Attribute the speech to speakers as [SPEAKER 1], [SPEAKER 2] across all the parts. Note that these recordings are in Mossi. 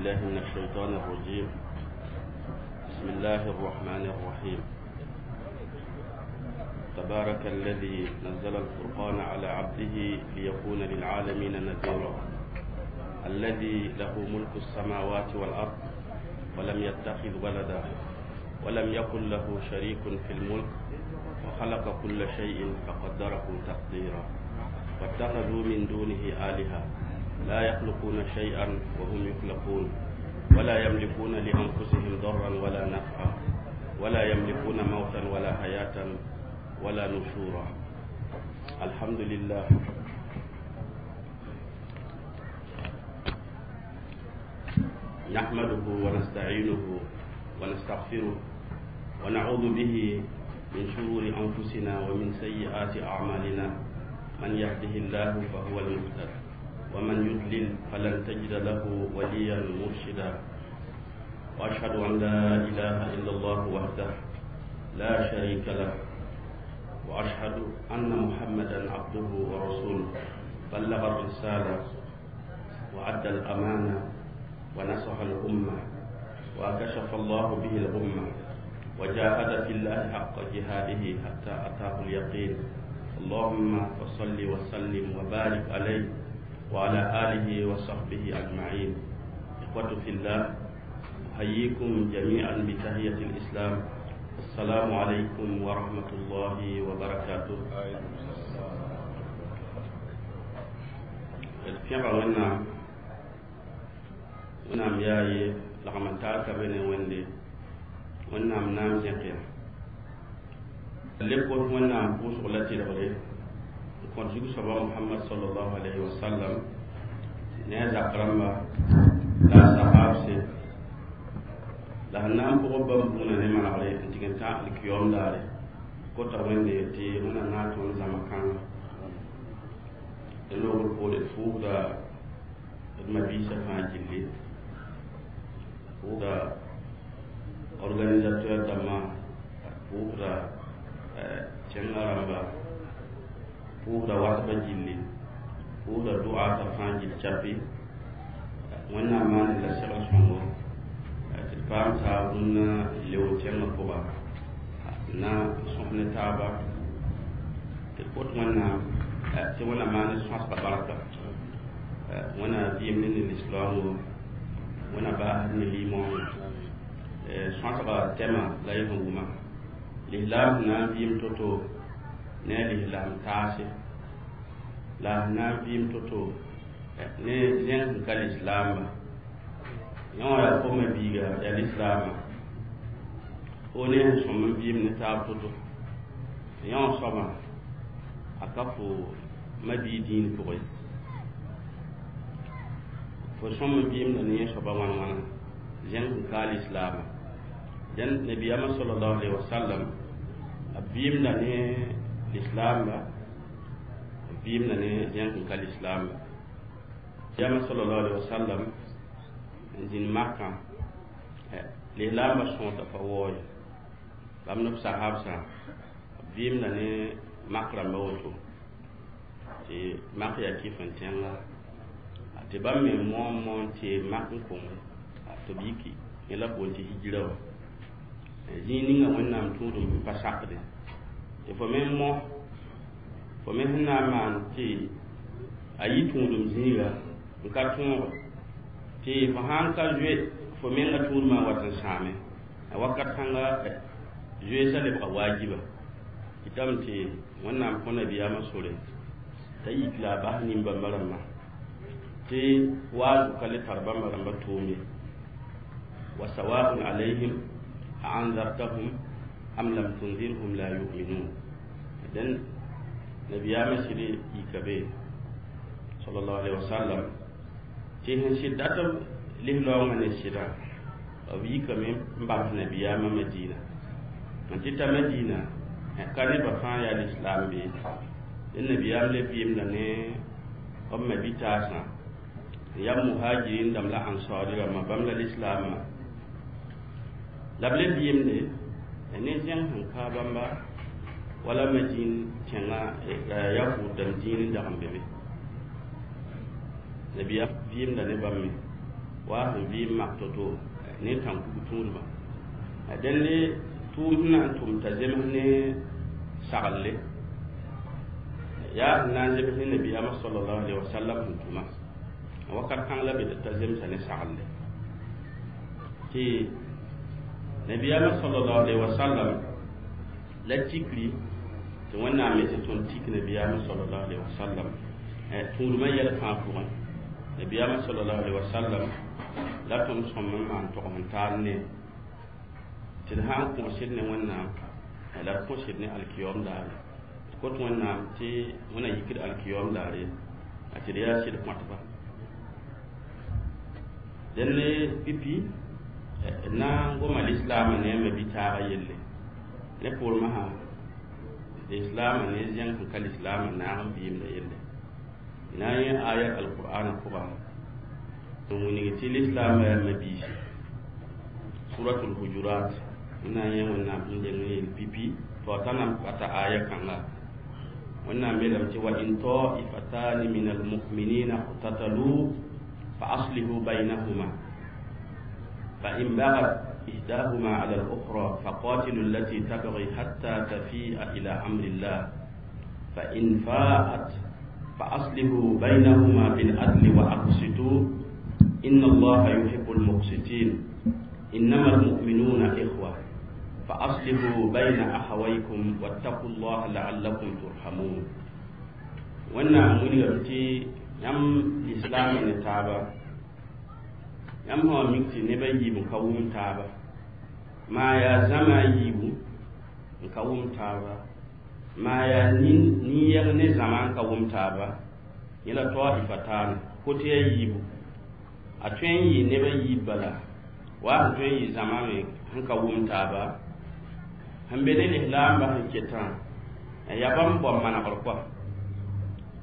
[SPEAKER 1] بالله من الشيطان الرجيم بسم الله الرحمن الرحيم تبارك الذي نزل الفرقان على عبده ليكون للعالمين نذيرا الذي له ملك السماوات والأرض ولم يتخذ ولدا ولم يكن له شريك في الملك وخلق كل شيء فقدره تقديرا واتخذوا من دونه آلهة لا يخلقون شيئا وهم يخلقون ولا يملكون لأنفسهم ضرا ولا نفعا ولا يملكون موتا ولا حياة ولا نشورا الحمد لله نحمده ونستعينه ونستغفره ونعوذ به من شرور أنفسنا ومن سيئات أعمالنا من يهده الله فهو المهتد ومن يضلل فلن تجد له وليا مرشدا وأشهد أن لا إله إلا الله وحده لا شريك له وأشهد أن محمدا عبده ورسوله بلغ الرسالة وأدى الأمانة ونصح الأمة وكشف الله به الغمة وجاهد في الله حق جهاده حتى أتاه اليقين اللهم فصل وسلم وبارك عليه وعلى آله وصحبه أجمعين إخوة في الله أحييكم جميعا بتحية الإسلام السلام عليكم ورحمة الله وبركاته pẽga wẽnnaam wẽnnaam yaa ye lagm n taar ka be ne wẽnde wẽnnaam naam zẽk ya leb kos wẽnnaam pʋʋsg la tɩlgre n kõt zug-soaba mohamad salallahu alayhi wa sallam ne a zak rãmba la a sahaabse la sẽn na n pʋgb bãmb bũuna ne manegre n tɩg n tã alkiyoom daare kota wẽnde tɩ wẽnnaam na n tõnd zãma kãnga d loogr poore d fuusda d mabiisã fãa gilli pʋʋsda organisateur dãmbã pʋʋsda kẽngã rãmba pʋʋsda wasbã gilli pʋʋsda dʋaata fãa gill chapi wẽnnaam maand la segl sõngo tɩ d paam taab rũnnã leo kẽngã pʋga na n sõs ne taaba tɩ d kot wẽnnaam tɩ wẽnnaam maan sõsga barka wẽnnaam vɩɩm ne ne lislaoongo wẽnnaam baasd ne limoongo sõsga tɛma la y sẽn wʋma lislaam sẽn na n vɩɩm to-to ne a lislaam taase la sẽn na n vɩɩm to-to ne zẽng sẽn ka lislaamba yẽ wã yaa fo mabiiga yaa lislaama fo ne sẽn sõm n vɩɩm ne taab to-to yẽ wã soabã a ka fo mabii dĩin pʋgẽ fo sõm n vɩɩmda ne yẽ soaba wãn wãna zẽng sẽn ka a lislaama dẽn nabiyaamã salallahu alayhi wasallam a vɩɩmda ne lislaamba b vɩɩmda ne zẽng sẽn ka lislaamba nabiyaamã salallahu alayhi wasallam n zĩnd makã lislaambã sõota pa waoɔ ye bãmb ne b sahabsã b vɩɩmda ne mak rãmba woto tɩ mak yaa kɩf n tẽnga tɩ bãmb me moon moon tɩ mak n konge tɩ b yiki yẽ la b boond tɩ hijira wã zĩig ninga wẽnnaam tũudum n pa sakde tɩ fo me n mõ fo me sẽn na n maan tɩ a yi tũudum zĩiga n ka tõoge tɩ fo sãn ka zoe fo menga tũudmã n wat n sãame a wakat kãnga zoeesã lebga waajiba kɩtame tɩ wẽnnaam kõ nabiyaamã sore t'a yik la a bas nin-bãmba rãmbã tɩ waazu ka le tar bãmba rãmbã tʋʋm ye wa sawaun alayhim a anzartahum am lam tunzirhum la yuminun dẽn nabiyaamã sɩd yika be sallallahu alaihi wasallam tɩ sẽn sɩd dat b lislaoongã ne sɩda b yikame n bams nabiyaamã madina n tɩ ta madina ka nebã fãa yaa lislaam be dẽn nabiyaam le vɩɩmda ne b mabitaasã n yaa muhajirin dãmb la ansɔɔri rãmbã bãmb la lislaamã la b le vɩɩmde ne zẽng sẽn ka bãmba wala madin tẽngã yahud dãmb dĩin n dag n be be nabiyaam vɩɩmda ne bãmb me Wa sẽn vɩɩm mak to-to ne tãn-kug tũudmã. Dẽnde tʋʋm sẽn na n tʋm t'a zems ne saglle yaa sẽn na n zems ne nabiyaamã sallallahu alaihi wasallam sẽn tʋma wakat kãng la be t'a zemsa ne saglle tɩ nabiyaamã sallallahu alaihi wasallam la tikri tɩ Wẽnnaam me tɩ tõnd tik nabiyaamã sallallahu alaihi wasallam tũudmã yɛl fãa pʋgẽ. Nabiyaamã sallallahu alaihi wasallam la tõnd sõm n maan tog n taal ne tɩ d sã n kõsd ne Wẽnnaam la d kõsd ne alkiyoom daare d kot Wẽnnaam tɩ Wẽnna yikd alkiyoom daare a tɩ d yaa sɩd kõtba. Dẽnd pipi d na n goma lislaamã ne a ma-bi-taagã yelle ne poormã sã lislaamã ne zẽng sẽn ka lislaamã naag n vɩɩmda yelle na n yẽ ayat alqur'ana pʋga n wilg tɩ lislaamã yaa ma-biisi. Suratul Hujurat na n yẽ Wẽnnaam sẽn deng n yel pipi tɩ wa ta nan pata aya kãnga. Wẽnnaam yeelame tɩ wa in taifatani min almuminina iqtatalu fa aslihu baynahuma fa in bagat إحداهما على الأخرى فقاتلوا التي تبغي حتى تفيء إلى أمر الله فإن فاءت فأصلحوا بينهما بالعدل وأقسطوا إن الله يحب المقسطين إنما المؤمنون إخوة فأصلحوا بين أخويكم واتقوا الله لعلكم ترحمون. Wẽnnaam wilgame tɩ yãmb lislaamã ne taaba yãmb sã wa mik tɩ neb a yiib n ka wʋm taaba maa yaa zãma a yiibu n ka wʋm taaba maa yaa nin-yɛg ne zãma n ka wʋm taaba yẽ la taifataane kote a yiibu a tõe n yɩ neb a yiib bala wa sẽn tõe n yɩ zãma me sẽn ka wʋm taaba sẽn be ne lislaambã sẽn ketã yaa bãmb bao manegr kɔa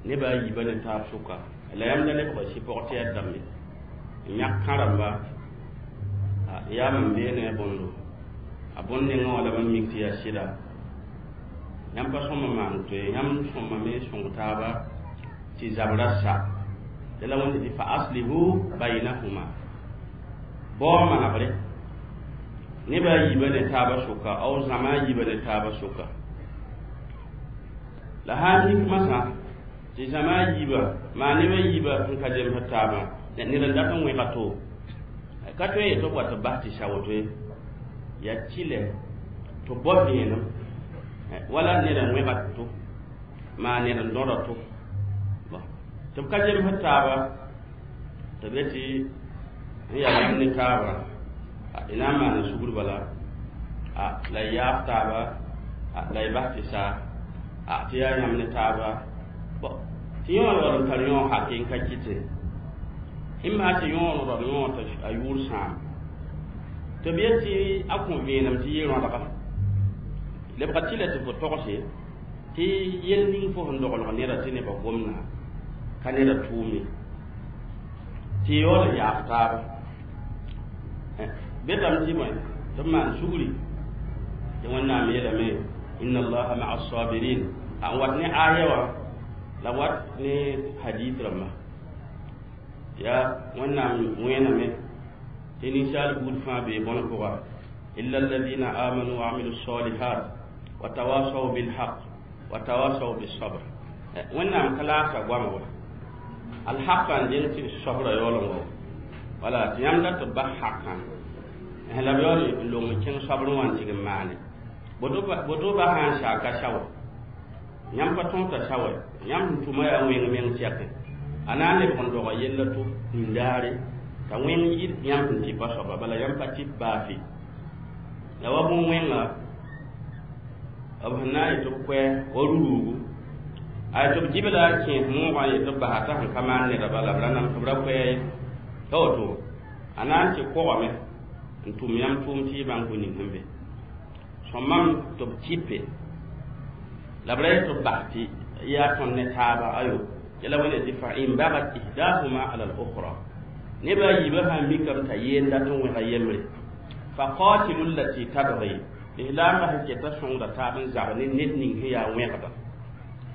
[SPEAKER 1] neba a yiibã ne taab sʋka la yãmb da lebga sɩ-pʋg tɩ yaa dãmbe n yãk kãramba yaa mam bee ne a bõndo a bõn nengã wã la mam mik tɩ yaa sɩda yãmb pa sõma maan tɩ yãmb sõmame sõng taaba tɩ zabra sa tɩ la wẽnde tɩ fa aslihu baynahuma bao manegre neba a yiibã ne taabã sʋka ao zãma a yiibã ne taabã sʋka la sã n mik masã tɩ zãma a yiibã maa neb a yiibã sẽn ka zemsd taabã ned n dat n wẽga to ka tõe n yet tɩ b wa tɩ bas tɩ sa woto ye yaa tɩlɛ tɩ b bao vẽenem wala ned n wẽga to maa ned n dõda to tɩ b ka zemsd taaba tɩ b yetɩ n yaa yãmb ne taaba y na n maan sugr bala la y yaaf taaba la y bas tɩ sa tɩ yaa yãmb ne taaba tɩ yõor yaool n tar yõog hake n ka kɩte ɩ maa tɩ yõor raood yõog t'a a yʋʋr sãam tɩ b yet tɩ a kõ vẽenem tɩ yɩ rõadga lebga tɩ la tɩ fo togse tɩ yel ning fo sẽn doglg neda tɩ nebã gomna ka neda tʋʋme tɩ yaool n yaaf taaba betame tɩ bõe tɩ b maan sugri tɩ Wẽnnaam yeelame inna allaha maa sabirin a n wat ne aya wã la wat ne hadith rãmba yaa Wẽnnaam wẽename tɩ ninsaal buud fãa bee bõn pʋga illa alladina amanu wa amilu salihat wa tawasaw bilhaq wa tawasaw bisabr. Wẽnnaam ka laasa goama wa alhaqã n deng tɩ sabra yaool n wa wala tɩ yãmb dat tɩ b bas haqã la b yaool n long n kẽng sabrẽ wã n tɩg n maane boto ba sã n saaka sawa yãmb pa tõog t'a sawa yãmb sẽn tʋma yaa wẽng meng tɛke a na n lebg n doga yella to nindaare t'a wẽng yɩ yãmb sẽn tɩpa soaba bala yãmb pa tɩp baafe la wa bõn-wẽnga b sẽn na n yetɩ b koɛ wa ruruugu a tɩ b gibla a kẽes moogã n yetɩ b basa t'a sẽn ka maan neda bala b ra nam tɩ b ra koɛɛ ye t'a woto a na n tɩ kogame n tʋm yãmb tʋʋm tɩ y bãng bõe ning sẽn be sõmam tɩ b tɩpe la b ra yetɩ b bas tɩ yaa tõnd ne taaba ayo yɛla wẽnde tɩ fa in bagat ihdahuma ala al-ukhra neba a yiibã sã n mikame t'a yeen dat n wẽga yembre fa qatilu allati tabgi lislaambã sẽn keta sõngda taab n zab ne ned ning sẽn yaa wẽgda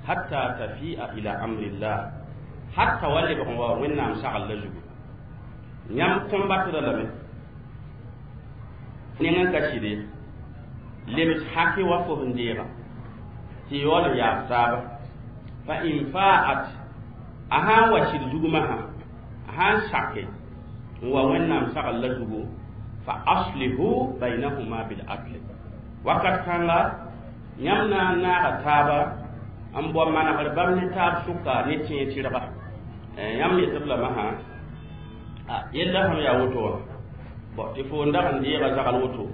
[SPEAKER 1] hatta tafia ila amrillah hatta wa lebg n wa Wẽnnaam sagl la zugu. Yãmb combattre lame neng n ka sɩd ye lebs haki wa fo sẽn deega tɩ yaool n yaas taaba fa in faat a sã n wa sɩd zugmã sã a sã n sake n wa Wẽnnaam sagl la zugu fa aslihu baynahuma bil adl wakat kãnga yãmb na n naaga taaba n bao manegr bãmb ne taab sʋka ne tẽeg tɩrga yãmb yetb lame sã yella sẽm yaa woto wã bon tɩ fo n dag n deega zagl woto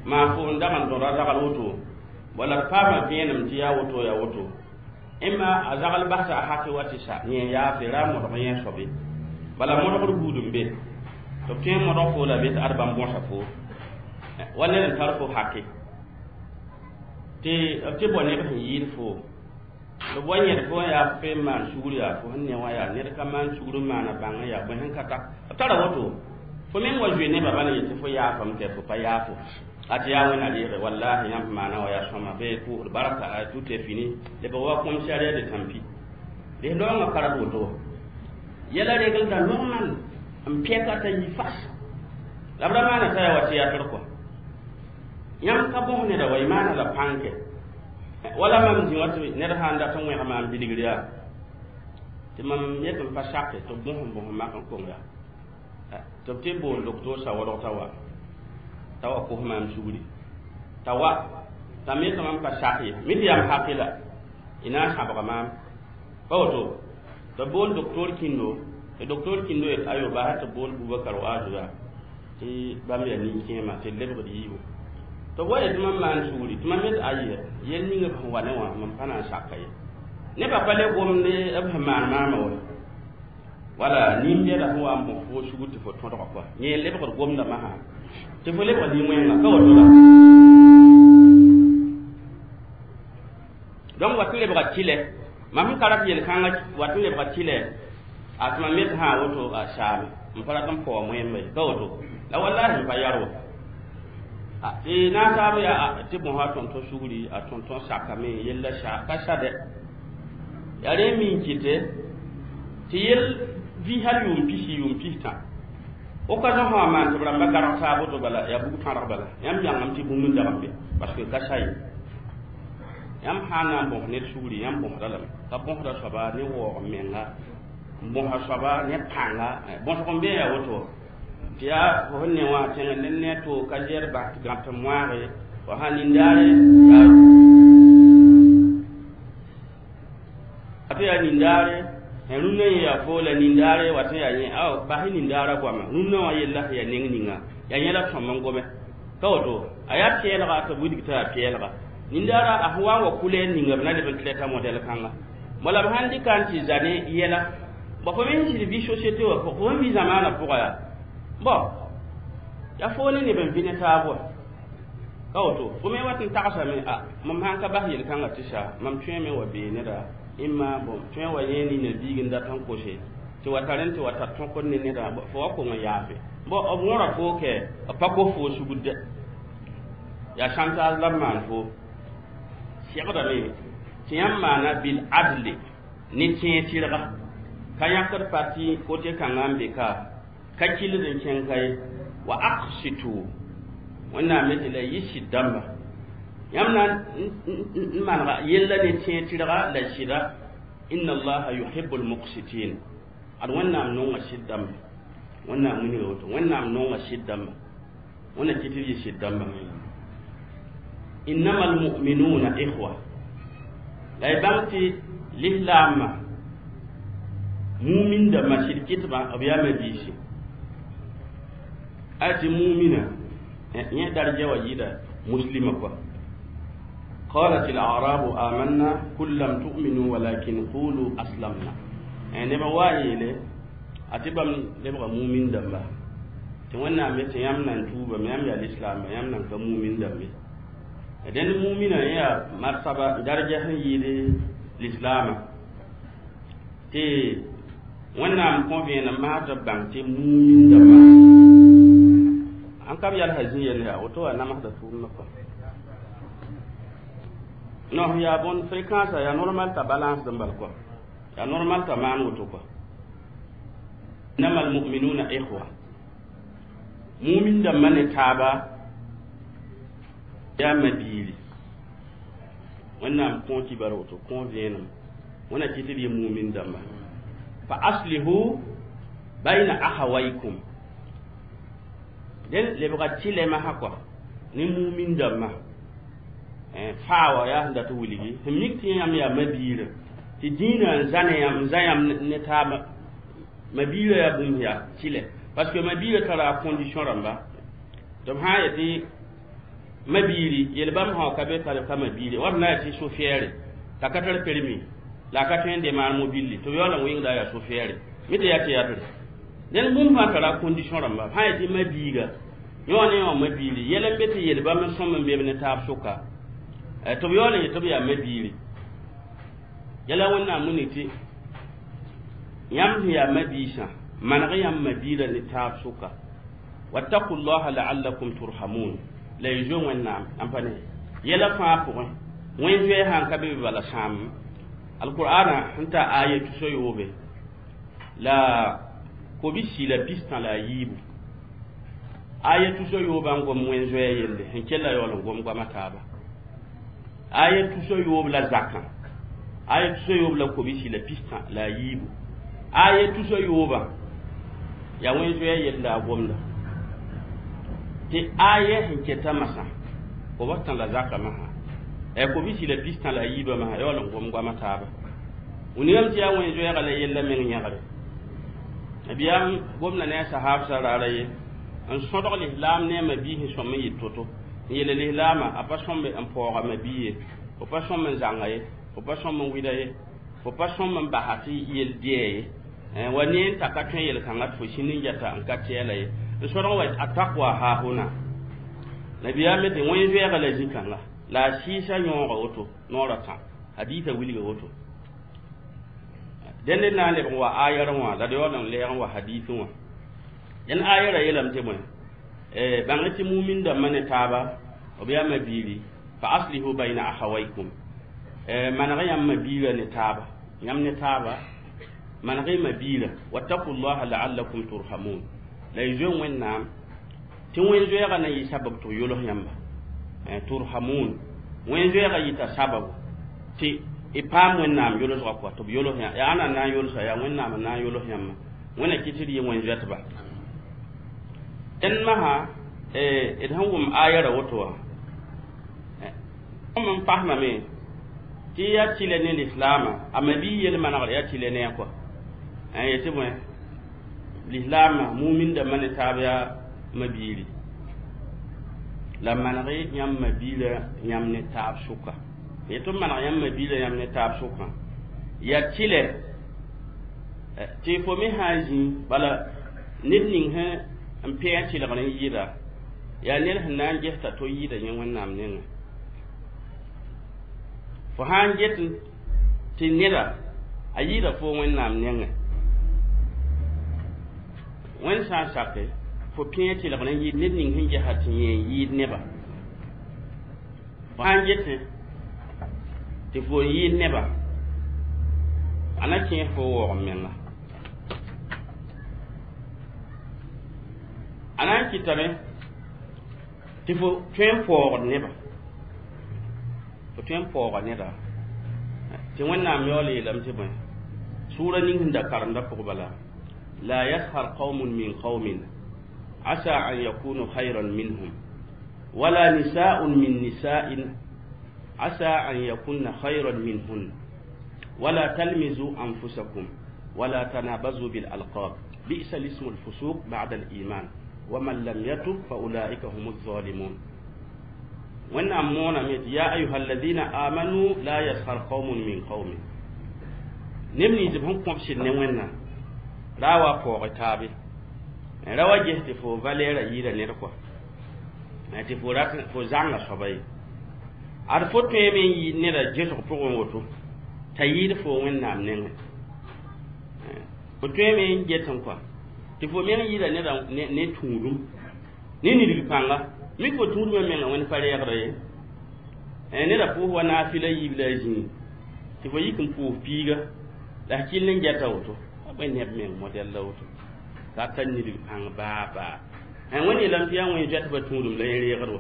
[SPEAKER 1] maa fo n dag n dõda zagl woto wala d paama vẽenem tɩ yaa woto yaa woto ẽmma a zagl basa a haki wa tɩ sa yẽ yaafre ra modg yẽ soabe bala modgr buud n be tɩ b tõe n modg fo la be tɩ ad bãmb bõsa fo wa ned n tar fo haki tɩ b tɩ bao neb sẽn yɩɩd fo tɩ b wa yẽd fo n yaa fo n maan sugr yaa fo sẽn ne wã yaa ned ka maan sugr n maana bãng yaa bõe sẽn ka ta b tara woto fo meng wa zoe nebã bala yetɩ fo yaafame tɩ fo pa yaafo a tɩ yaa Wẽnna reege wallahi yãmb maana wa yaa sõma bɩ pʋʋsd barka tout est fini lebg wa commissariat de tampi dɩs loongã karad woto yɛla reglda normal n pɛka t'a yi fas la b ra maana t'a yaa wa théâtre kɔa yãmb ka bõs neda wa y maana la pãnkɛ wala mam zĩ wa tɩ ned sã n dat n wẽg maam bilgr yaa tɩ mam yet n pa sake tɩ b bõs n bõs n mak n kong yaa tɩ b tɩ bool docteur sa wadg t'a wa t'a wa kos maam sugri t'a wa t'a me tɩ mam pa sak ye mi tɩ yam haki la y na n sãbga maam pa woto tɩ bool docteur kĩndo tɩ docteur kĩndo yet ayo basa tɩ bool Bubakar Waazu yaa tɩ bãmb yaa nin-kẽema tɩ lebgd yiibu tɩ b wa yetɩ mam maan sugri tɩ mam yet ayi yel ning b sẽn wa ne wã mam pa na n saka ye nebã pa le gomde b sẽn maan maamã wa wala nin-bɛda sẽn wa n bõs fo sugr tɩ fo tõdga kɔa yẽ lebgd gomdame sã tɩ fo lebg nin-wẽnga ka woto la donc wat n lebga tɩlɛ mam sẽn ka rat yel-kãngã wat n lebga tɩlɛ a tɩ mam yet sã woto a saame n pa rat n paoa moẽmba ye ka woto la wallahi n pa yar wa tɩ nasaab yaa tɩ bõsa a tõn-tõ sugri a tõn-tõ sakame yella sa ka sa dɛ yaa rẽ mi n kɩte tɩ yel vɩ hal yʋʋm pisi yʋʋm pistã o ka zõ sã maan tɩ b rãmba garg taab woto bala yaa bug tãrg bala yãmb yãngame tɩ bũmb n dag n be parce que ka sa ye yãmb sã n na n bõs ned sugri yãmb bõsda lame ka bõsda soaba ne waoog menga n bõsa soaba ne pãnga bõsg n be yaa woto tɩ yaa fo sẽn ne wã tẽng ned ne a to ka zɛr bas gãp tɩ moaage wa sã nindaare a tɩ yaa nindaare rũnnã yẽ yaa fo la nindaare wa tɩ yaa yẽ ao bas nindaara goama rũnnã wã yella sẽn yaa neng ninga yaa yẽ la tõm n gome ka woto a yaa pɛɛlga tɩ b wilg tɩ yaa pɛɛlga nindaara a sẽn wa n wa kʋlɛ n ninga b na leb n traita modɛl kãnga wala b sãn dɩka n tɩ za ne yɛla bõ fo me sẽn sɩd vɩ société wã fo sẽn vɩ zamaanã pʋga yaa bon yaa fo ne neb n vɩ ne taab wa ka woto fo me wat n tagsame a mam sãn ka bas yel-kãngã tɩ sa mam tõeme wa bee neda ẽmma bõn tõe wa yẽ nina biig n dat n kose tɩ wa tar n tɩ wa tar tõkd ne neda fo wa kong n yaafe bon b wõra fo kɛ b pa kos fo sugd dɛ yaa chantage la b maan fo segdame tɩ yãmb maana bil adle ne tẽeg tɩrga ka yãkd parti kote kãngã n be ka ka kɩlд n kẽng ka ye wa aqsitu Wẽnnaam yetɩ la yɩ sɩd dãmba yãmb na n manega yella ne tẽeg tɩrga la sɩda inna allaha yuhibu lmuqsitin ad Wẽnnaam nonga sɩd dãmba Wẽnnaam wilga woto Wẽnnaam nonga sɩd dãmba Wẽnna kɩ tɩ b yɩ sɩd dãmba innama almuminuna ikhwa la y bãng tɩ lislaamã mumin dãmbã sɩd kɩtbã b yaa mabiisi a tɩ mumina yẽ darja wa yɩɩda muslima kɔa قالت الأعراب آمنا قل لم تؤمنوا ولكن قولوا أسلمنا نبا وايله أتبام لبغا مؤمن دمبا tɩ Wẽnnaam yetɩ yãmb nan tuubame yãmb yaa lislaamba yãmb nan ka mumin dãmbe dẽnd mumina yẽ yaa marsaba darja sẽn yɩɩd lislaamã tɩ Wẽnnaam kõ vẽenem masã tɩ b bãng tɩ mumin dãmbã an ka b yalsã zĩ yell yaa woto wa namsda tʋʋmdã kɔa non yaa bõn fréquence yaa normal t'a balance n bal kɔa yaa normal t'a maan woto kɔa Innama almuminuna ikhwa, mumin dãmbã ne taaba yaa mabiiri. Wẽnnaam kõ kibar woto kõ vẽenem wẽna kɩ tɩ d yɩ mumin dãmba. Fa aslihu bayna ahawaykum, dẽn lebga tɩlɛ masã kɔa ne mumin dãmbã faa wã yaa sẽn dat wilgi sẽn mik tɩ yãmb yaa mabiirã tɩ dĩinã n zã ne yãmb n zã yãmb ne taaba. Mabiirã yaa bũmb yaa tɩlɛ, parce que mabiirã tara a condition rãmba. Tɩ b sã n yetɩ mabiiri yel bãmb sã ka be ka mabiiri wa b na n yetɩ sofɛɛre t'a ka tar permis la a ka tõe n demaar mobilli tɩ b yaool n wɩngda yaa sofɛɛre mi tɩ yaa tɩ yatr. Dẽnd bũmb fãa tara a condition rãmba. B sã n yetɩ mabiiga yõ ne wã mabiiri yɛl n be tɩ yel bãmb n sõm n beb ne taab sʋka tɩ b yaool n yet tɩ b yaa mabiiri. Yɛla Wẽnnaam wilg tɩ yãmb sẽn yaa mabiisã maneg yãmb mabiirã ne taab sʋka. Wattaku llaha laallakum turhamun, la y zoe Wẽnnaam n pa ne yɛla fãa pʋgẽ. Wẽn zoɛɛ sã n ka be be bala sãam alqur'ana sẽn ta aya 303. Aya 309 n gom wẽn zoɛɛ yelle sẽn kell yaool n gom goama taaba. Aya 309 la zakã, aya 314, aya 309 yaa wẽn zoɛɛ yella a gomda tɩ aya sẽn keta masã kobs tã la zaka masã 143 masã yaool n gom goama taaba. Wilgame tɩ yaa wẽn zoɛɛga la yella meng yẽgre. Nabiyaam gomda ne a sahaabsã raara ye n sõdg lislaam ne a mabiis sẽn sõm n yɩ to-to n yeele lislaamã a pa sõmbe n paooga mabii ye, fo pa sõm n zãnga ye, fo pa sõm n wɩda ye, fo pa sõm n basa tɩ yel dɩɛ ye wa ne n ta ka tõe yel-kãngã tɩ fo sĩnd n yɛta n ka tɛɛla ye n sõdg wa a taqwa haahuna. Nabiyaam me tɩ wẽn zoɛɛga la zĩ-kãnga la a sɩɩsa yõoga woto noorã tã hadiisã wilga woto. Dẽnd n na n lebg n wa ayar wã la d yaool n lɛɛg n wa hadiisẽ wã. Dẽn ayara yeelame tɩ bõe bãng tɩ mumin dãmbã ne taaba b yaa mabiiri. Fa aslihu bayna ahawaykum, maneg yãmb mabiirã ne taaba, yãmb ne taaba maneg y mabiirã. Wattaku llaha laallakum turhamun, la y zoe Wẽnnaam tɩ wẽn zoɛɛga na yɩ sabab tɩ b yols yãmba. Turhamun, wẽn zoɛɛga yɩta sababu tɩ y paam Wẽnnaam yolsga kɔa tɩ b yols yã yaa ãnna n na n yolsa yaa Wẽnnaam n na n yols yãmba. Wẽnna kɩ tɩ d yɩ wẽn zoɛtba. Dẽnd masã d sẽn wʋm ayara woto wã tõm n pasmame tɩ yaa tɩlɛ ne lislaamã a mabii yel manegr yaa tɩlɛ ne a kɔa yetɩ bõe lislaamã mumin dãmbã ne taab yaa mabiiri la maneg yãmb mabiirã yãmb ne taab sʋka. Yetɩ b maneg yãmb mabiirã yãmb ne taab sʋkã yaa tɩlɛ tɩ fo me sã n zĩ bala ned ning sẽn n pẽ tɩlgr n yɩɩda yaa ned sẽn na n ges t'a to yɩɩda yẽ Wẽnnaam nengẽ. Fo sã n get tɩ neda a yɩɩda fo Wẽnnaam nengẽ, Wẽnd sã n sake fo pẽ tɩlgr n yɩɩd ned ning sẽn gesa tɩ yẽ n yɩɩd neba. Fo sã n getẽ tɩ fo yɩɩd neba a na kẽes fo waoog n menga. A na n kɩtame tɩ fo tõe n paoogd neba, fo tõe n paooga neda tɩ Wẽnnaam yaool yeelame tɩ bõe sʋʋra ning sẽn da karemda pʋg bala la yashar qawmun min qawmin asa an yakunu khayran minhum wala nisa'un min nisa'in asa an yakunna khayran minhun wala talmizu anfusakum wala tanabazu bil alqab bi'sa lismu al-fusuq ba'da al-iman wa man lam yatub fa ulaika humu zalimun. Wẽnnaam mooname tɩ ya ayuha alladina amanu la yashar qawmun min qawmin, neb nins b sẽn kõb sɩd ne Wẽnnaam ra wa paoog taabe ra wa ges tɩ fo valɛɛra yɩɩda ned kɔa tɩ fo rat fo zãnga soaba ye ad fo tõeme n yɩɩd neda gesg pʋgẽ woto t'a yɩɩd fo Wẽnnaam nengẽ. Fo tõeme n get n kɔa tɩ fo meng yɩɩda neda ne tũudum ne nidg pãnga mik fo tũudmã menga Wẽnd pa reegda ye. Neda pʋʋs wa naafɩla yiib la a zĩig tɩ fo yik n pʋʋs piiga la f kell n gɛta woto a bõe neb meng modɛl la woto. T'a tar nidg pãng baa baa wẽnd yeelame tɩ yaa wẽn zoɛtbã tũudum la yẽ reegd wã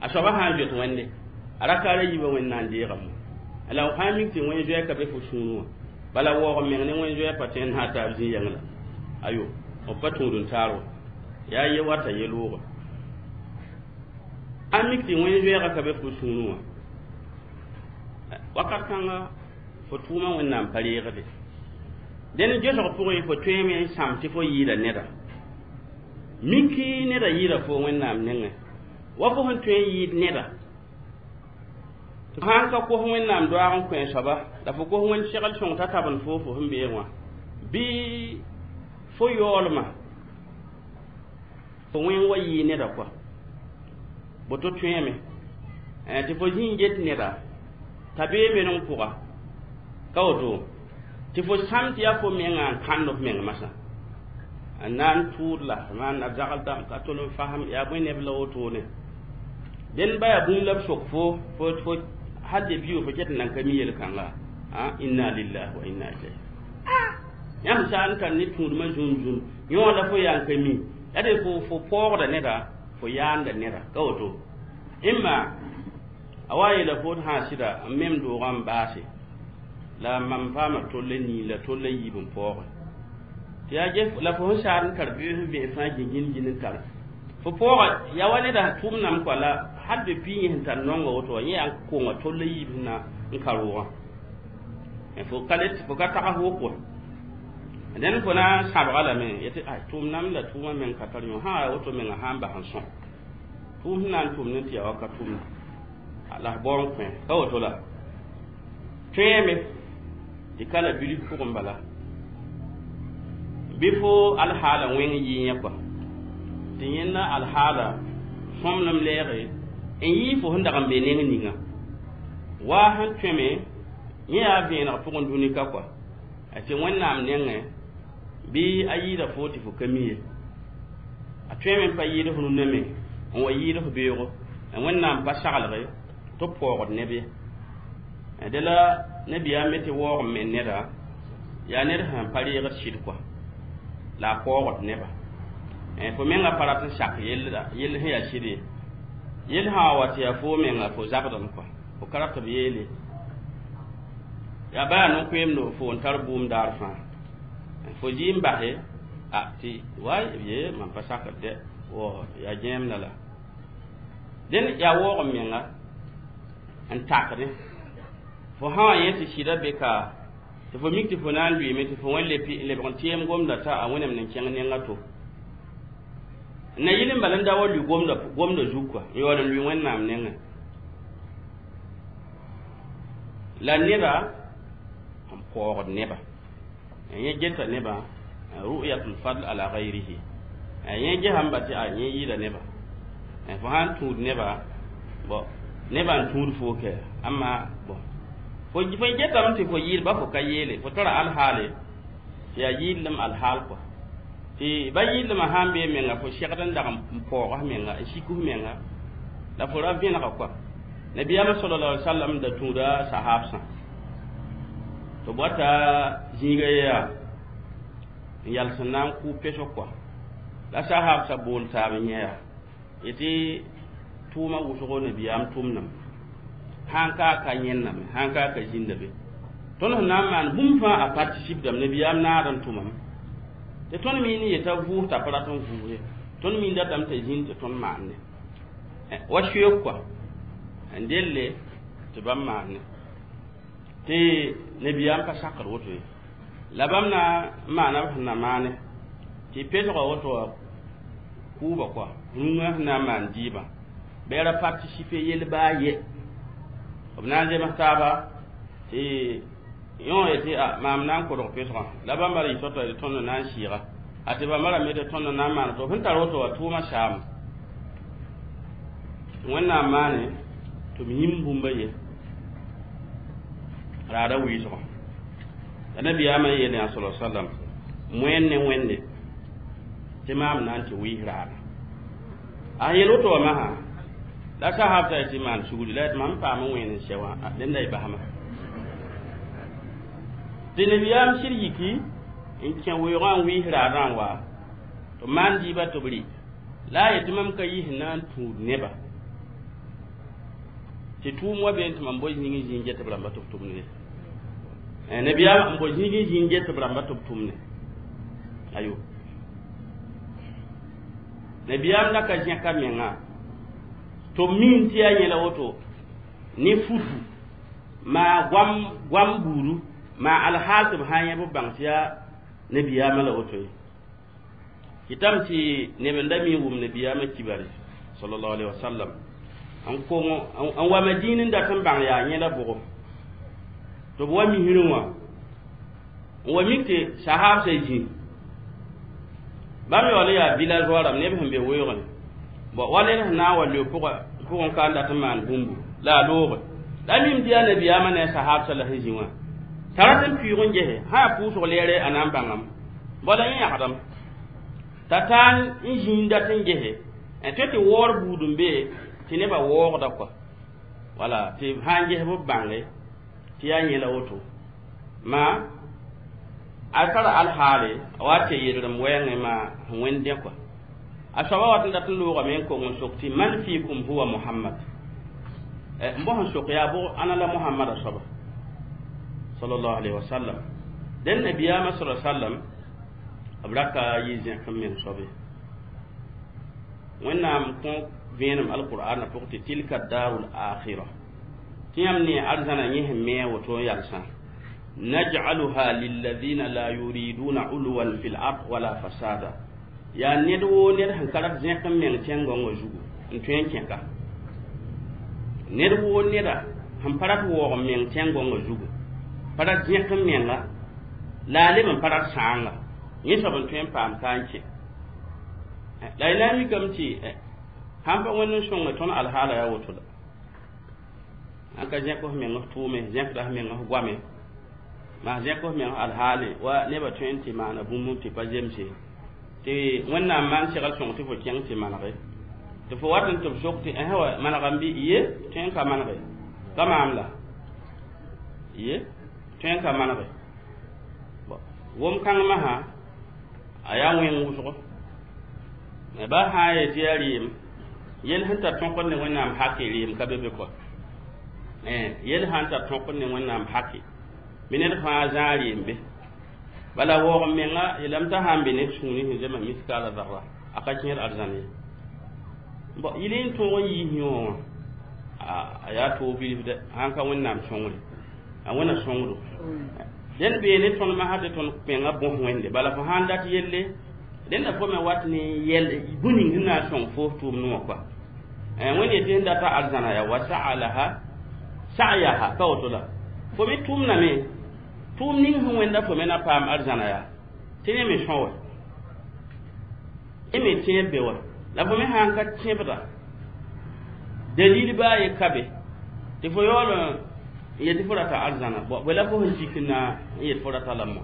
[SPEAKER 1] a soaba sã n zoet wẽnde a rakaara yiibã wẽnd na n deegame la f sã n mik tɩ wẽn zoɛɛ ka be fo sũurẽ wã bala waoog meng ne wẽn zoɛɛ pa tõe n na taab zĩ-yɛng la ayo b pa tũud n taar wã yaa ye wata ye loogã a mik tɩ wẽn zoɛɛgã ka be fo sũurẽ wã wakat kãnga fo tʋʋmã wẽnnaam pa reegde dẽn gesg pʋgẽ fo tõeme n sãm tɩ fo yɩɩda neda miki neda yɩɩda fo wẽnnaam nengẽ wa fo sẽn tõe n yɩɩd neda sãn ka kos wẽnnaam doaag n kõ soaba la fo kos wẽnd segl sõng t'a tabend fo fo sẽn beeg wã bɩ fo yaoolmã fo wẽng wa yɩɩ neda kɔa boto tõeme tɩ fo zĩ n get neda t'a bee meneng pʋga ka woto tɩ fo sãm tɩ yaa fo mengã n kãnd f meng masã n na n tʋʋd la maan a zagl dãmb ka tol n fasem yaa bõe neb la wotone dẽn ba yaa bũmb la b sok fo fo hal de biyo fo ket n nan ka mi yel-kãnga inna lillahi wa inna ilayhi yãmb sã n tar ne tũudmã zũn zũn yõ la fo yaa n ka mi yaa de fo paoogda neda fo yaanda neda ka woto ẽmma a wa yeela fo sã sɩda n mem doogã n baase la mam paama tolla nii la tolla yiib n paooge tɩ yaa ges la fo sẽn saad n tar beoos n vẽes fãa gĩngin gin n tar fo paooga yaa wa neda tʋʋm nam kɔa la hal be pii yẽ sẽn tar nonga woto wã yẽ yaa n konga tolla yiib sẽn na n ka roogã fo ka le fo ka tags wʋk wã dẽn fo na n sãbga lame yetɩ ay tʋʋm nam la tʋʋmã meng ka tar yõ sã yaa woto menga sã n bas n sõ tʋʋm sẽn na n tʋm ne tɩ yaa wa ka tʋmda la f bao n kõ ka woto la tõeeme tɩ ka la bilf pʋgẽ bala bɩ fo alhaala wẽng yɩ yẽ kɔa tɩ yẽnda alhaala sõmblem lɛɛge n yɩ fo sẽn dag n be neng ninga waa sẽn tõeme yẽ yaa vẽeneg pʋgẽ dũni ka kɔa tɩ wẽnnaam nengẽ bɩ a yɩɩda fo tɩ fo ka mi ye a tõeme n pa yɩɩd f rũnã me n wa yɩɩd f beoogo wẽnnaam pa saglge tɩ b paoogd neb ye dẽ la nabiyaam me tɩ waoog n me neda yaa ned sẽn pa reegd sɩd kɔa la a paoogd neba fo menga pa rat n sak yell sẽn yaa sɩd ye yell sã wa tɩ yaa fo menga fo zabdame kɔa fo ka rat b yeele yaa baa no-koeemdo fo n tar bʋʋm daar fãa fo zɩ n base a tɩ way ye mam pa sakd dɛ wo yaa gẽemda la dẽn yaa waoog n menga n takdẽ fo sã wa yẽ tɩ sɩda be ka tɩ fo mik tɩ fo na n lʋɩɩme tɩ fo wẽ lebg n tɩɩm gomda t'a a wẽnem n kẽng nenga to na yɩl n bal n da wa lʋɩ gomda zug kɔa n yaool n lʋɩ wẽnnaam nengẽ la neda n paoogd neba yẽ geta neba ru'yatul fadl ala ghayrihi yẽ gesam ba tɩ a yẽ yɩɩda neba fo sã n tũud neba bõ neba n tũud fo kɛ amma bõ fo getame tɩ fo yɩɩd ba fo ka yeele fo tara alhaale tɩ yaa yɩɩdlem alhaal kɔa tɩ ba yɩɩdlemã sã n bee menga fo segd n dag n paoog f menga n sik f menga la fo ra vẽnega kɔa nabiyaamã sallallahu alaihi wasallam da tũuda sahaabsã tɩ bɔta zĩiga yaa n yals n na n kʋ pesg kɔa la sahaabsã bool taab n yẽ yaa yetɩ tʋʋmã wʋsgo nabiyaam tʋmdame sãn ka a ka yẽnname sãn ka a ka zĩnda be tõnd sẽn na n maan bũmb fãa a participdame nabiyaam naad n tʋmame tɩ tõnd mi ne yeta vʋʋs t'a pa rat n vʋʋs ye tõnd mi datame t'a zĩnd tɩ tõnd maande wa soeek kɔa n delle tɩ bãmb maande tɩ nabiyaam pa sakd woto ye la bãmb na n maana b sẽn na maane tɩ pesga woto wã kʋʋba kɔa rũngã sẽn na n maan dɩɩbã bɩ ra participe yel baa ye b na n zems taaba tɩ yõ yetɩ a maam na n kodg pesgã la bãmba ra yɩ tao-tao tɩ tõnd na n sɩɩga a tɩ bãmba rame tɩ tõnd na n maan to sẽn tar woto wã tʋʋmã saam tɩ wẽnnaam maane tɩ b yĩm bũmba ye raada wɩɩsgã la nabiyaamã yeele yã sala sallam moẽn ne wẽnde tɩ maam na n tɩ wɩɩs raada a yel woto wã masã la sahab t'a tɩ maan sugri la mam paam n wẽen n sɛ wã dẽnda y basma tɩ nabiyaam sɩd yiki n kẽ weoogã n wɩɩs raadã n wa Tɩ maan dɩɩbã tɩ b rɩ la a yetɩ mam ka yis na n tũud nebã tɩ tʋʋm wa beene tɩ mam boe zĩig n zĩ n get b rãmba tɩ b tʋmd ye. Nabiyaam n boe zĩig n zĩ n get b rãmba tɩ b tʋmne. Ayo, nabiyaam la ka zẽka menga tɩ b miin tɩ yaa yẽla woto ne futu maa goam goam buudu maa alhaal tɩ b sã n yẽ b bãng tɩ yaa nabiyaamã la woto ye. Kɩtame tɩ neb n da mi n wʋm nabiyaamã kibare sallallahu alaihi wasallam n kongo n wa Madin n dat n bãng yaa yẽla bʋgo tɩ b wa misrẽ wã n wa mik tɩ sahaabsã zĩ bãmb yaool n yaa villageois rãmb neb sẽn be weoogẽ bõ wa ned sẽn na n wa leo pʋgẽ ka n dat n maan bũmbu la a looge la a mim tɩ yaa nabiyaamã ne a sahaabsã la sẽn zĩ wã t'a rat n pʋɩʋg n gese sã yaa pʋʋsg leere a na n bãngame bala yẽ yãgdame t'a taa n zĩ n dat n gese n tõe tɩ waoor buud n be tɩ nebã waoogda kɔa wala tɩ sã n ges b bãnge tɩ yaa yẽla woto maa a tara alhaale a wa tɩ yelrem wɛɛngẽ maa sẽn wẽnd dẽ kɔa a soaba wat n dat n loogame n kong n sok tɩ man fiikum huwa Muhammad n bos n sok yaa bʋg ãna la Muhammada soaba sallallahu alaihi wasallam. Dẽn nabiyaamã sa sallam b ra ka yɩ zẽk n meng soabe. Wẽnnaam kõ vẽenem alqur'ana pʋg tɩ tilka darul akhira tɩ yãmb ne arzãna yẽ sẽn me a woto n yalsã naj'aluha lilladhina la yuriduna uluwan fil ard wala fasada yaa ned woo ned sẽn ka rat zẽk n meng tẽn-gõngã zugu n tõe n kẽka ned woo neda sẽn pa rat waoog n meng tẽn-gõngã zugu pa rat zẽk n menga la a leb n pa rat sãanga yẽ soab n tõe n paam ka n kẽ la y na n mikame tɩ sãn pa Wẽnd n sõnge tõnd alhaala yaa woto la sãn ka zẽk f meng f tʋʋme zẽkda f meng f goame maa zẽk f meng alhaale wa nebã tõe n tɩ maana bũmb tɩ pa zemse tɩ Wẽnnaam maan segl sõng tɩ fo kẽng tɩ manege tɩ fo wat n tɩ b sok tɩ ẽsẽ wa manegame bɩ ye tõe n ka manege ka maam la ye tõe n ka manege wom kãng masã a yaa wẽng wʋsgo ba sã n yetɩ yaa rɩɩm yel sẽn tar tõkd ne Wẽnnaam hake rɩɩm ka be be kɔ yel sã n tar tõkd ne Wẽnnaam hake bɩ ned fãa zãa rɩɩm be bala waoog n menga yeelame t'a sã n be ned sũuri sẽn zema miskaala zarra a ka kẽer arzãn ye bõ yɩl n tõog n yiis yõ wã a yaa toog bilf dɛ sãn ka Wẽnnaam sõngre a Wẽnna sõngdo dẽnd bee ne tõnd masã tɩ tõnd menga bõs Wẽnde bala fo sã n dat yelle rẽnda fo me wat ne yɛl bũn ning sẽn na n sõng fo f tʋʋmd wã kɔa Wẽnd yetɩ sẽn data arzãna yaa wa saa laha sa'yaha ka woto la fo me tʋʋmdame tʋʋm ning sẽn wẽnda fo me na paam arzãna yaa tɩ ne me sõ wa y me tẽeb be wa la fo me sã n ka tẽebda dalil baa ye ka be tɩ fo yaool n yetɩ fo rata arzãna bõe la fo sẽn tik n na n yet fo rata lame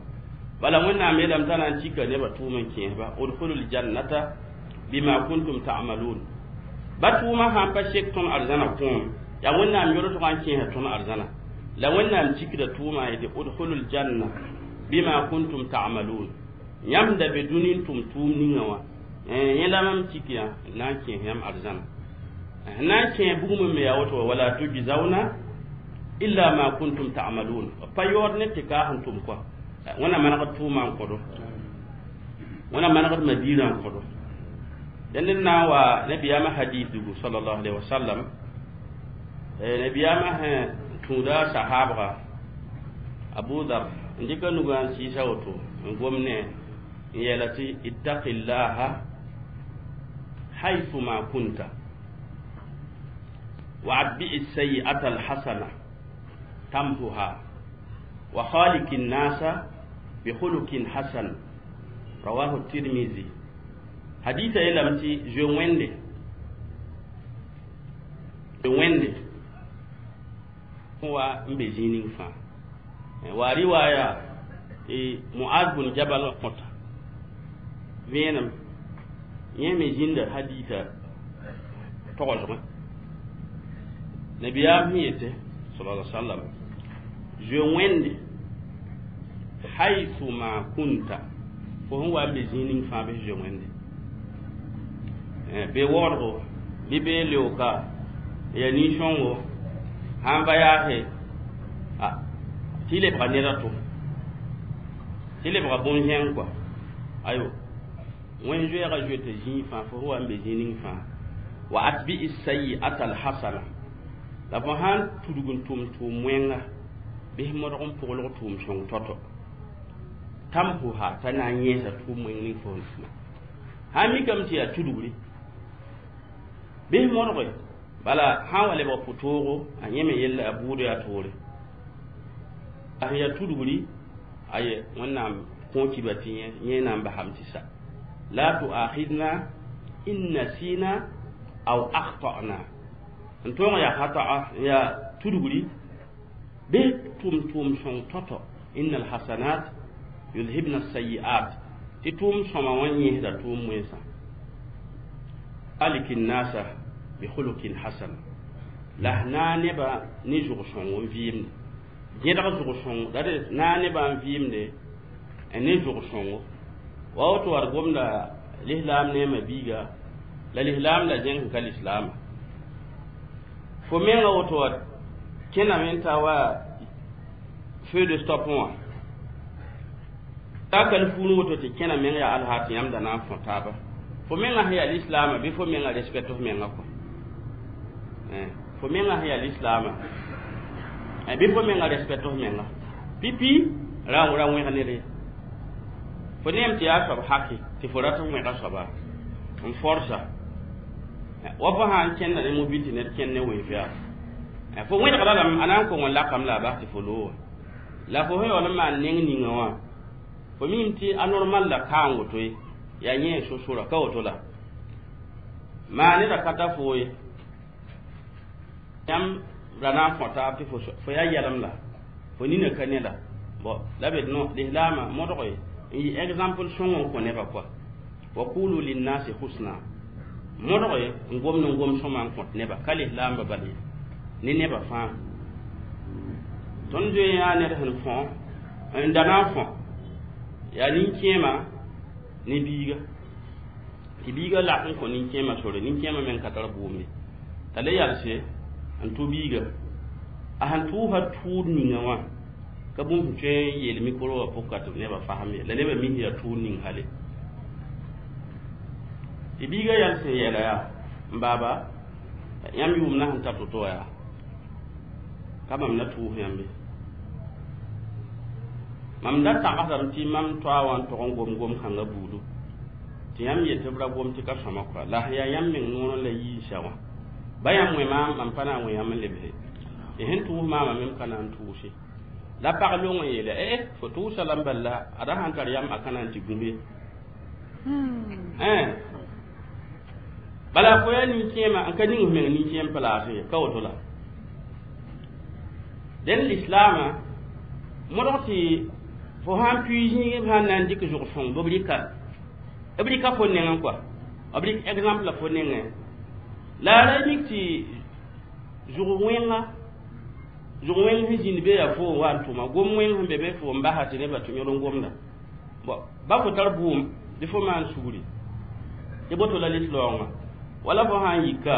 [SPEAKER 1] bala Wẽnnaam yeelame t'a na n tika nebã tʋʋm n kẽesba udkhulul jannata bima kuntum ta'malun ba tʋʋmã sã n pa sek tõnd arzãna kõom yaa Wẽnnaam yolsgã n kẽesa tõnd arzãna la Wẽnnaam tikda tʋʋmã yetɩ udkhulul janna bima kuntum ta'malun yãmb da be dũni n tʋm tʋʋm ninga wã yẽ la mam tik yã n na n kẽes yãmb arzãna n na n kẽ bugum me yaa woto wala tujzauna illa ma kuntum ta'malun pa yaood ne tɩ kaas n tʋm kɔa Wẽnnaam manegd tʋʋmã n kõdo Wẽnnaam manegd madiirã n kõdo dẽnd n na n wa nabiyaamã hadis dugu sallallahu alaihi wasallam nabiyaamã sẽn tũuda sahaabga Abu Dhar n dɩka nugã n sɩɩsa woto n gom ne n yeela tɩ ittaqillaha haythu ma kunta wa atbi'i sayi'ata alhasana tamhuha wa khaliqi nnasa bi khuluqin hasan rawahu Tirmizi hadisa yeelame tɩ zoe Wẽnde zoe Wẽnde wa n be zĩig ning fãa wa riwaya tɩ Muaz bun Jabal kõta vẽenem yẽ me zĩnda hadisa togsgẽ nabiyaam sẽn yete sala sallam zoe Wẽnde haythu ma kunta fo sẽn wa n be zĩig ning fãa bɩ zoe Wẽnde. Bee waoodgo bɩ bee leooka ya nin-sõngo sãn va yaase tɩ lebga ned a to tɩ lebga bõn-zẽng kɔa ayo wẽn zoɛɛga zoe tɩ zĩig fãa fo wa n be zĩig ning fãa wa atbi'i sayi'ata alhasana la fo sãn tudg n tʋm tʋʋm wẽnga bɩs modg n pʋglg tʋʋm sõng tɔtɔ tamhuha t'a na n yẽesa tʋʋm wẽng ning fo sẽn tʋma sãn mikame tɩ yaa tudgri bɩs modge bala sãn wa lebg pʋtoogo a yẽ me yella a buud yaa toore a sẽn yaa tudgri aye wẽnnaam kõ kiba tɩ yẽ na n basame tɩ sa la tuakhidna in nasina aw akhtana n tõog yaa khata'a yaa tudgri bɩ tʋm tʋʋm sõng tɔtɔ inna alhasanat yudhibna sayiat tɩ tʋʋm sõma wã yẽsda tʋʋm wẽnsã aliki nasa bi khuluqin hasan la na neba ne zʋg sõng n vɩɩmde gẽdg zʋg sõng la d na nebã n vɩɩmde ne zʋg sõngo wa woto war gomda lislaam neema biiga la lislaam la zẽng sẽn ka lislaama fo menga woto wa kẽname n ta wa feu de stop wã ta kal fuun woto tɩ kẽna meng yaa alha tɩ yãmb da na n fõ taaba fo menga sẽn yaa lislaama bɩ fo menga respect f menga kɔ fo menga sẽn yaa lislaama bɩ fo menga respect f menga pipi ra ra wẽg ned ye fo neem tɩ yaa soab haki tɩ fo rat n wẽga soaba n forsa wa fo sã n kẽnda ne mobil tɩ ned kẽnd ne wẽnf yaa fo wẽdgda lame a na n kong n lakame la a bas tɩ fo looga la fo sẽn yaool n maan neng ninga wã fo mim tɩ anormal la kaang woto ye yaa yẽ so-sora ka woto la maa neda ka ta fo ye yãmb ra na n fõ taab tɩ fo yaa yɛlem la fo nina ka ne la bon la be no lislaamã modg ye n yɩ exemple sõng n kõ nebã kɔa wa qulu linnasi husna modg ye n gomd n gom sõma n kõt neba ka lislaamba bal ye ne nebã fãa tõnd zoe yaa ned sẽn fõ n da na n fõ yaa nin-kẽema ne biiga tɩ biiga lak n kõ nin-kẽema sore nin-kẽema meng ka tar bʋʋm ye t'a le yalse n tʋ biiga a sẽn tʋʋsa tʋʋd ninga wã ka bũmb sẽn tõe n yeel mikro wã pʋka tɩ nebã fasem ye la nebã mis yaa tʋʋd ning hale tɩ biiga yals n yeela yaa n baaba yãmb yʋʋmdã sẽn ta to-to wã yaa ka mam na tʋʋs yãmbe mam da tagsdame tɩ mam toa wã n tog n gom gom-kãngã buudu tɩ yãmb yet tɩ b ra gom tɩ ka sõma kɔa la sẽn yaa yãmb meng noorẽ la yiisa wã ba yãmb wẽ maam mam pa na n wẽ yãmb n lebse tɩ sẽn tʋʋs maamã mem ka na n tʋʋse la pag long n yeela eh fo tʋʋsa lame bal la a ra sãn tar yam a ka na n tɩ gũm ye bala fo yaa nin-kẽema n ka ning f meng nin-kẽem place ye ka woto la dẽn lislaamã modg tɩ fo sãn pui zĩig b sãn na n dɩk zʋg sõng b rɩka b rɩka fo nengẽ kɔa b rɩk exemple la fo nengẽ la a ra mik tɩ zʋg wẽnga zʋg wẽng sẽn zĩnd be yaa fo n wa n tʋma gom wẽng sẽn be be fo n basa tɩ nebã tɩ yõd n gomda bon ba fo tar bʋʋm bɩ fo maan sugri tɩ boto la lislaoongã wala fo sãn yika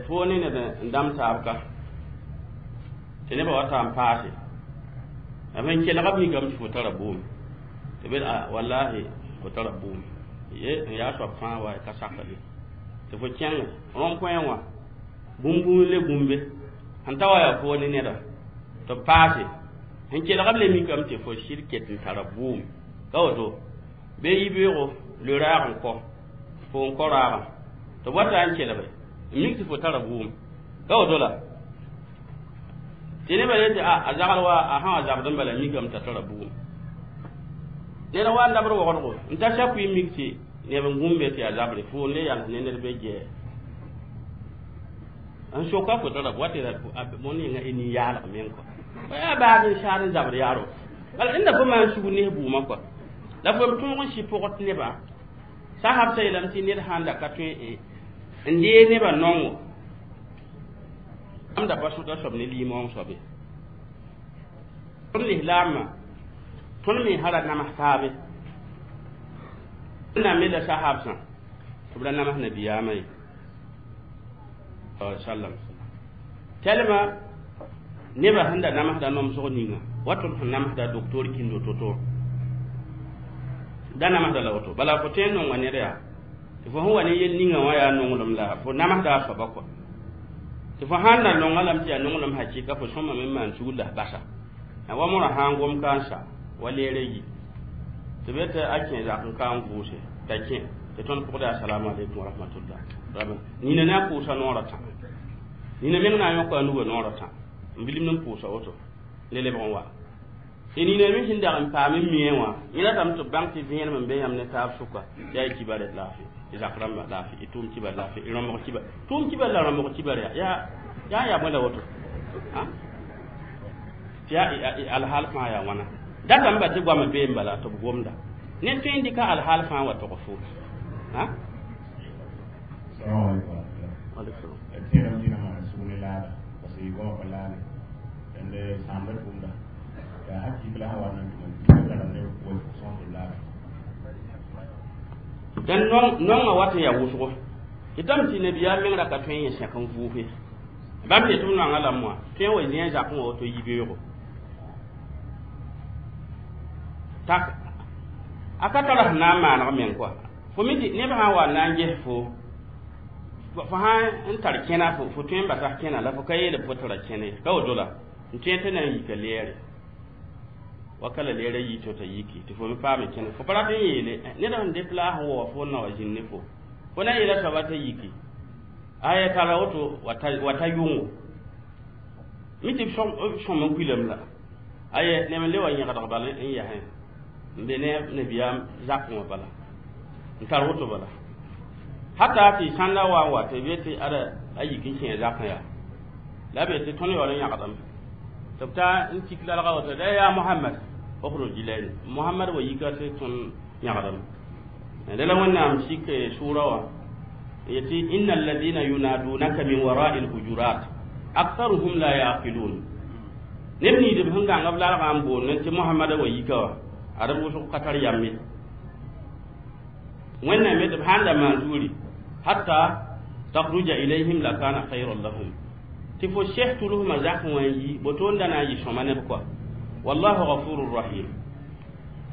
[SPEAKER 1] fo ne ned n dãmb taab ka tɩ nebã wa ta n paase b sẽn kelga b mikame tɩ fo tara bʋʋm tɩ bed wallahi fo tara bʋʋm ye n yaa soab fãa wa ka sakd ye tɩ fo kẽng rond-point wã bũmb le gũmbe sẽn ta wa yaa fo ne neda tɩ b paase sẽn kelg b le mikame tɩ fo sɩd ket n tara bʋʋm ka woto bee yibeoogo le raag n kɔ fo n kɔ raagã tɩ b wa ta n kelge n mik tɩ fo tara bʋʋm ka woto la tɩ nebã yetɩ a zagl wa a sã wa zabd n bala mikame t'a tara bʋʋm ned wa n dabd waoodgo n ta sapʋɩ mik tɩ neb n gũmbe tɩ yaa zabre fo n le yals ne ned be gɛɛ n soka fo tara wa tɩ bõn ninga y nin-yaalg meng kɔ yaa baag n saad n zabr yaaro bala rẽnda fo maan sug nes bʋʋmã kɔa la fo m tõog n sɩ pʋgd nebã sasab yeelame tɩ ned sãn da ka tõe n dee nebã nongo yãmb da pa sõta soab ne limaoong soab ye tõnd lislaamã tõnd me sã ra nams taabe wẽnnaam me la sahabsã Tɩ b ra nams nabiyaamã ye sallam tɛlma nebã sẽn da namsda nomsg ninga wa tõnd sẽn namsda docteur kĩndo to-to da namsda la woto bala fo tõe n nonga ned yaa tɩ fo sẽn wa ne yel ninga wã yaa nonglem la fo namsda a soaba kɔa tɩ fo sãn na nonga lame tɩ yaa nonglem hakɩka fo sõmame n maan sugr la f basa wa mõrã sã n gom ka n sa wa leera yi tɩ be tɩ a kẽ zak n ka n vʋʋse t'a kẽ tɩ tõnd pʋgda assalamu alaikum wa rahmatullah nina ne a pʋʋsa noorã tã nina meng na n yõka a nugã noorã tã n bilim n pʋʋsa woto le lebg n wa tɩ nina me sẽn dag n paam n mie wã yẽ ratame tɩ b bãng tɩ vẽenem n be yãmb ne taab sʋka tɩ yaa y kibar laafɩ y zak rãmba laafɩ y tʋʋm kibar laafɩ y rõmbg kibar tʋʋm kibar la rõmbg kibar yaa yaa yaa bõe la woto tɩ yaa alhaal fãa yaa wãna datame ba tɩ goamã bee n bala tɩ b gomda ne tõe n dɩka alhaal fãa wa tog fo dẽn nongã wat n yaa wʋsgo tɩ tame tɩ nabiyaam meng ra ka tõe n yẽ sẽk n vʋʋse bãmb yetɩ b nongã lame wã tõe n wa zĩ a zakẽ wã woto yibeoogo tak a ka tara sẽn na n maaneg meng kɔa fo mi tɩ neb sã n wa n na n ges fo fo sã n tar kẽna fo tõe n basa kẽna la fo ka yeele fo tara kẽne ka woto la n tõe tɩ na n yika leere waka la leera yi tɩ t'a yiki tɩ fo me paame kẽne fo pa rat n yeele ned sẽn dɩt la a sẽn wa fo n na wa zĩnd ne fo fo na n yeela soaba t'a yiki aya tara woto wa ta yʋngo mi tɩ b sõm n kuilame la aye neb n le wa yẽgdg bala n yasẽ n be ne nabiyaam zakẽ wã bala n tar woto bala hata tɩ sãnda wa n wa tɩ be tɩ ada a yik n kẽ zakẽ yaa la be tɩ tõnd yaool n yãgdame tɩ b ta n tik lalga woto da yaa Mohamad ukhruj ilayna Mohamad wa yika tɩ tõnd yãgdame dẽ la Wẽnnaam sik sʋʋra wã yetɩ inna alladhina yunadunaka min wara'i alhujurat aktharuhum la yaqilun neb niidb sẽn gãng b lalgã n boond tɩ Mohamada wa yika wã ad b wʋsg ka tar yam ye Wẽnnaam yetɩ b sãn da maan zugri hatta takhruja ilayhim lakana khayran lahum tɩ fo sɛs tʋlsmã zakẽ wã n yi boto n da na n yɩ sõma neb kɔa wallahu ghafurur rahim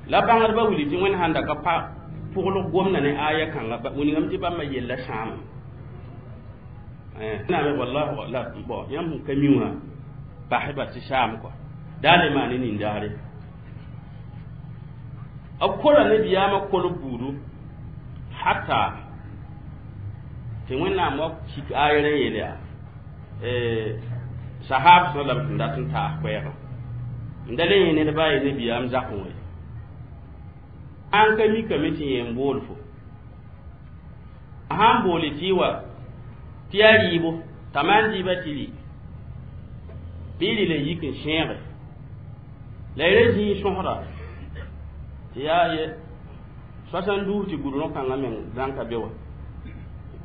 [SPEAKER 1] la bãngdbã wilg tɩ Wẽnd sãn da ka pa pʋglg gomda ne aya kãnga wilgame tɩ bãmba yella sãama naame wallahu la bon yãmb sẽn ka mi wã pasba tɩ saam kɔa daa le maan ne nindaare b kola nabiyaamã kolb buudu hata tɩ Wẽnnaam wa sik ayɛrã n yeel yaa sahab sã lame sẽn dat n taas koɛɛgã n da le yẽ ned baa ye nabiyaam zakẽ wã ye an ka mikame tɩ yẽ n bool fo a sãn boole tɩ y wa tɩ yaa rɩɩbo t'a maan dɩɩba tɩ rɩ bɩ y rɩ la yik n sẽege la y ra zĩig sõsda tɩ yaa ye 72 tɩ gʋdrõ kãngã meng zãn ka be wa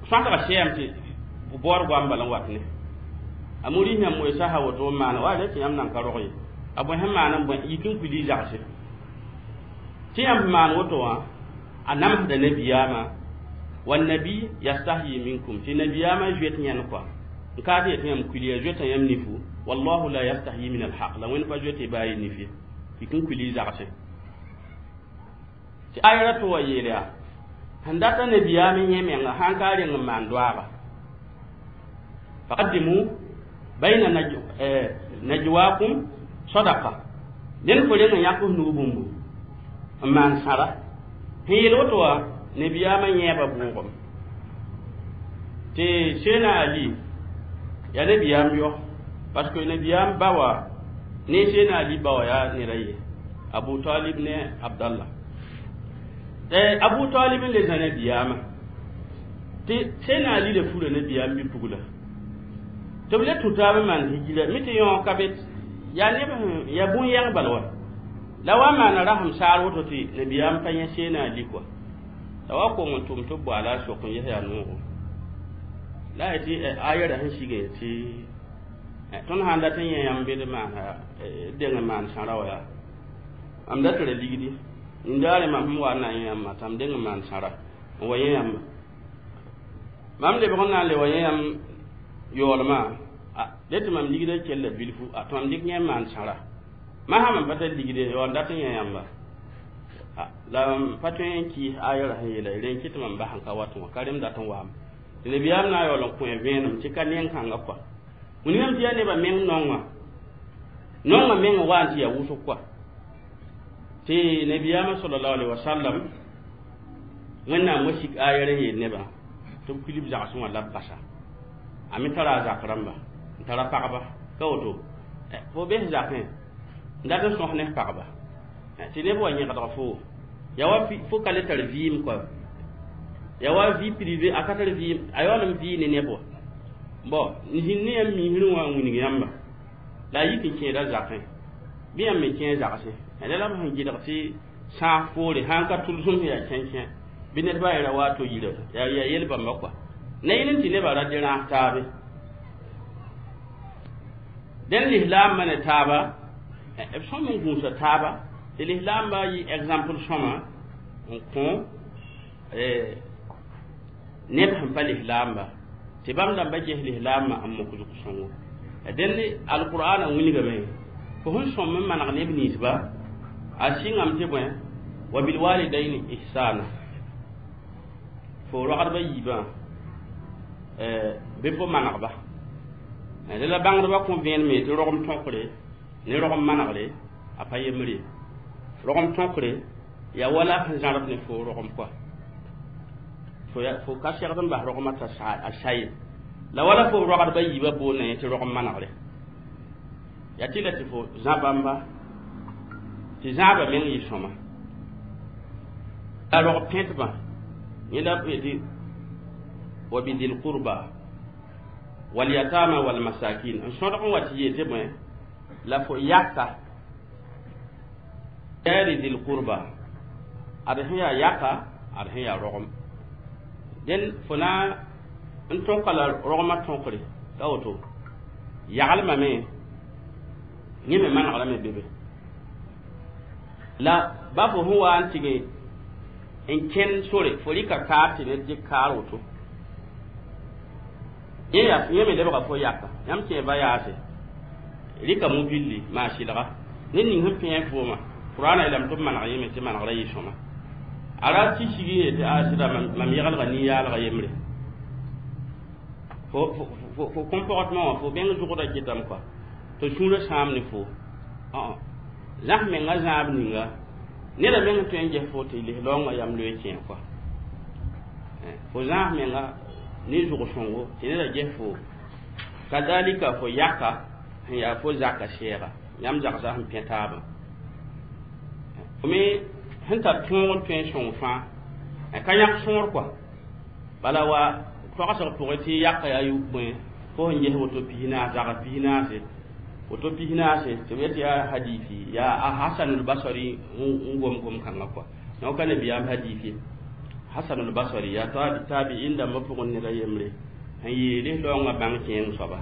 [SPEAKER 1] sõsga sɛɛm tɩ baood goam bala n wat ne a muris yãmb moe sasa woto n maana wa tɩ yãmb nan ka rog ye a bõe sẽn maan n bõe yik n kuil y zagse tɩ yãmb maan woto wã a namsda nabiyaamã wannabi yastahyi minkum tɩ nabiyaamã zoet yãnd kɔa n ka tɩ yetɩ yãmb kuil ya zoeta yãmb nifu wallahu la yastahyi min alhaq la Wẽnd pa zoet y baa y nif ye yik n kuil y zagse tɩ ayra tɩ wa yeel yaa sẽn data nabiyaam yẽ menga sãn ka reng n maan doaaga faqaddimu bayna najwakum sadaqa ned fo reng n yãk f nug bũmbu n maan sãra sẽn yeel woto wã nabiyaamã yẽeba bʋʋgem tɩ Seena Ali yaa nabiyaam yɔ parce que nabiyaam ba wa ne Seena Ali ba wa yaa ned a ye Abu Talib ne Abdallah Abu Talib n le zã nabiyaamã tɩ Seena Ali le fura nabiyaam bi-pugla tɩ b le tũ taab n maan hijira mi tɩ yõ ka be yaa neb yaa bũn-yɛng bal wa la wa maana rasem saar woto tɩ nabiyaam pa yẽ Seena Ali kɔa la wa kong n tʋm tɩ b boaala a sok n ges yaa noogo la a yetɩ ayɛra sẽn sige tɩ tõnd sãn dat n yẽ yãmb bed maana deng n maan sãra wa yaa mam da tɩ ra ligdi nindaare mam sẽn wa n na yẽ yãmbã tɩ m deng n maan sãra n wa yẽ yãmba Mam lebg n na n le wa yẽ yãmb yaoolmã dẽ tɩ mam ligdã kella bilfu tɩ mam dɩk yẽ n maan sãra mam sã mam pa tar ligde yaool n dat n yã yãmba la m pa tõe n kɩɩs aya ra sẽn yeela rẽ n kɩt tɩ mam bas n ka wat wã ka rem dat n waame tɩ nabiyaam na n yaool n kõ vẽenem tɩ ka neng-kãngã kɔa wilgame tɩ yaa nebã meng nonga nonga meng n wa n tɩ yaa wʋsg kɔa tɩ nabiyaamã sallallahu alaihi wasallam wẽnnaam wa sik aya ra yeel nebã tɩ b kuil b zagsẽ wã la b basa a me tara a zak rãmba n tara pagba ka woto fo bes zakẽ n dat n sõs ne pagba tɩ neb wa yẽgdg fo yaa wa fo ka le tar vɩɩm kɔa yaa wa vie privée a ka tar vɩɩm a yaool n vɩɩ ne neb wa bon n zĩnd ne yãmb miisrẽ wã n wilg yãmba la a yik n kẽeda zakẽ bɩ yãmb me kẽ zagsẽ la la b sẽn gɩdg tɩ sãas poore sãn ka tʋlsem sẽn yaa kẽnkẽ bɩ ned ba ra wa to yira yaa yel bãmba kɔa na yẽl n tɩ nebã ra dɩ rãas taabe dẽn lislaambã ne taaba b sõm n gũusa taaba tɩ lislaambã yɩ exemple sõma n kõ neb sẽn pa lislaamba tɩ bãmb dãmba ges lislaambã n mok zug-sõngo dẽnd alqur'ana wilgame fo sẽn sõm n maneg neb ninsba a sɩngame tɩ bõe wa bilwalidaini ihsana fo rogdba yiibã bɩ fo manegba la bãngdbã kõ vẽeneme tɩ rogem tõkre ne rogem manegre a pa yembre rogem tõkre yaa wala sẽn zãrb ne fo rogem kɔa fo ka segd n bas rogmã t'a a saye la wala fo rogdba yiibã boonda yẽ tɩ rogem manegre yaa tɩ la tɩ fo zã bãmba tɩ zãabã meng yɩ sõma la rog pẽtbã yẽ la tɩ wa bidil qurba wal yatama wal masakin n sõdg n wa tɩ yeel tɩ bõe la fo yaka jari dil qurba ad sẽn yaa yaka ad sẽn yaa rogem dẽn fo na n tõka la rogmã tõkre ka woto yaglmame yẽ me manegrame be be la ba fo sẽn wa n tɩg n kẽnd sore fo rɩka kaar tɩ ned dɩk kaar woto yẽ me lebga fo yaka yãmb kẽ va yaase rɩka mobilli maa sɩlga ned ning sẽn pẽe fooma qur'ana yeelame tɩ b maneg yẽme tɩ manegrã yɩ sõma a ra tɩ sig n yetɩ a sɩda mam yegelga nin-yaalga yembre fo comportement wã fo bẽng zʋgda kɩtame kɔa tɩ sũurã sãam ne fo zãs menga zãab ninga neda meng tõe n ges fo tɩ lislaoongã yam loe kẽe kɔa fo zãas menga ne zʋg-sõngo tɩ neda ges fo kadalika fo yaka sẽn yaa fo zaka sɛɛga yãmb zagsa sẽn pẽ taabã fo me sẽn tar tõog n tõe n sõng fãa ka yãk sõor kɔa bala wa toagsg pʋgẽ tɩ yaka yaa bõe fo sẽn ges woto pisnaas zags pisnaase woto pisnaase tɩ b yetɩ yaa hadiisi yaa a hasanul basari n gom gom-kãngã kɔa donc ka nabiyaam hadis ye hasanul basri yaa tabi'in dãmbã pʋgẽ ned a yembre sẽn yeele laoongã bãng kẽeng soaba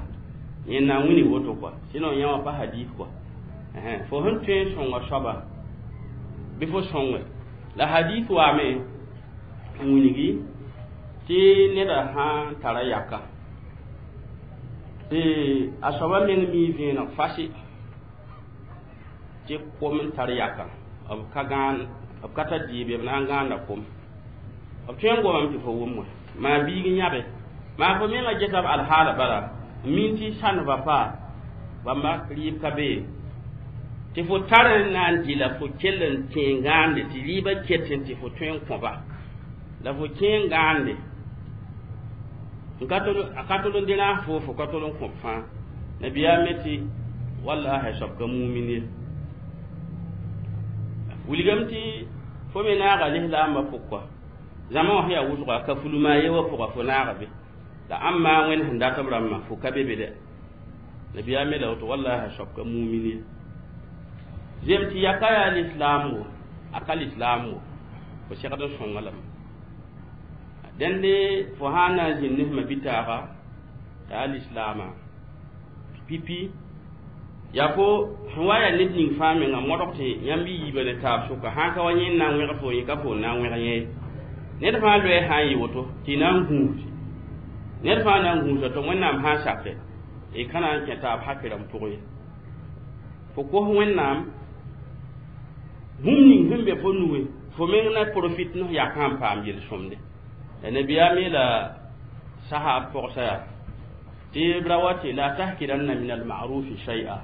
[SPEAKER 1] yẽ na n wilg woto kɔa sinon yã wã pa hadis kɔa fo sẽn tõe n sõnga soaba bɩ fo sõnge la hadis waame n wilgi tɩ neda sã n tara yaka tɩ a soaba meng mii vẽeneg fasi tɩ kom n tar yaka b ka gãan b ka tar dɩɩb b na n gãanda kom b tõe n gomame tɩ fo wʋm wã maa biig n yãbe maa fo mengã gesa b alhaala bala n min tɩ ça ne va pas bãmba rɩɩb ka bee tɩ fo tar n na n dɩ la fo kell n kẽ gãande tɩ rɩɩbã ket tɩ fo tõe n kõba la fo kẽ n gãande a ka tol n dɩ rãas fo fo ka tol n kõb fãa nabiyaam me tɩ wallahi soab ka mumin ye wilgame tɩ fo me naaga lislaambã pʋg kɔa zãma wã sẽn yaa wʋsga ka fulma ye wã pʋga fo naaga be la ãmba wẽnd sẽn dat b rãmbã fo ka be be dɛ nabiyaam me la woto wallahi soab ka mumin ye zem tɩ yaka yaa lislaamgo a ka lislaamgo fo segd n sõnga lame dẽnde fo sã n na n zĩnd ne sẽma bitaaga t'a yaa lislaamã pipi yaa fo sẽn wa yaa ned ning fãa menga modg tɩ yãmb y yiibã ne taab sʋka sã n ka wa yẽ n na n wẽg fo yẽ ka fo n na n wẽg yẽ ned fãa loɛɛ sã n yɩ woto tɩ y na n gũus Ned fãa na n gũusa tɩ Wẽnnaam sã n sake y ka na n kẽ taab hakɩ rãmb pʋgẽ ye. Fo kos Wẽnnaam bũmb ning sẽn be fo nugẽ, fo meng na profit n yakã n paam yel-sõmde. La nabiyaam yeela sahab pogsa yaa tɩ b ra wa tɩ la tahkiranna min almarufi shay'a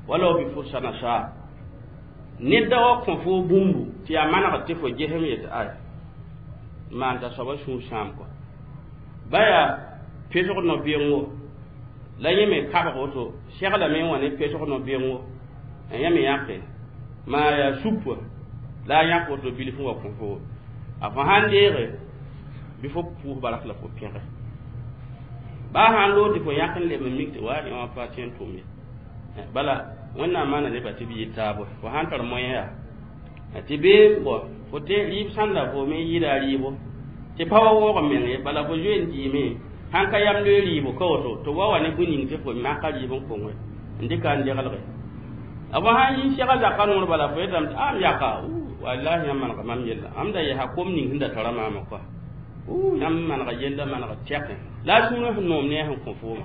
[SPEAKER 1] walau bi fursa nasha. Ned da wa kõ fo bũmbu tɩ yaa manegd tɩ fo gesem yetɩ ay maan t'a soaba sũur sãam kɔ. Ba yaa pesg no-bɩengo la yẽ me kabg woto seglame n wa ne pesg no-bɩengo yẽ me yãke maa yaa sup la a yãk woto bilf n wa kõ fo a fo sãn deege bɩ fo pʋʋs bark la fo pẽge. Baa sãn loog tɩ fo yãk n leb n mik tɩ wa yẽ wã pa tõe n tʋm ye. Bala Wẽnnaam maana nebã tɩ b yɩ taabo fo sãn tar moyen yaa tɩ bee bõ fo tɩ rɩɩb sãnda fo me yɩɩda a rɩɩbo tɩ pa wa waoog n meng ye, bala fo zoe n dɩɩme sãn ka yam loe rɩɩbo ka woto tɩ wa wa ne bũe ning tɩ fo maka rɩɩb n konge n dɩka n degelge. A fo sãn yi sega zaka noor bala fo yetame tɩ am yaka wallahi yãmb manega mam yella am da yɛsa kom ning sẽn da tara maama kɔa yãmb manega yella manega tɛkẽ la a sũurã sẽn noom ne a sẽn kõ fooma.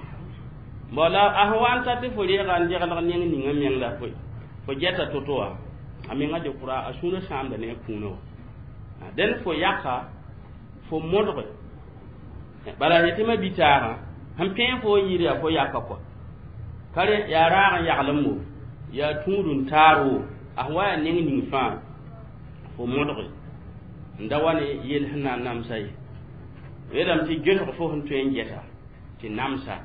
[SPEAKER 1] Bon la a sẽn wa n ta tɩ fo reega n degelg neng ninga meng la fo gɛta to-to wã a menga de kʋra a sũurã sãamda ne a kũunã wã. Dẽn fo yaka fo modge bala yetɩ ma bi-taagã sẽn pẽe fo n yɩɩd yaa fo yaka kɔa ka rẽ yaa raag n yaglem wo yaa tũud n taar wo a sẽn wa yaa neng ning fãa fo modge n da wa ne yell sẽn na n namsa ye. Yeelame tɩ gesg fo sẽn tõe n gɛsa tɩ namsa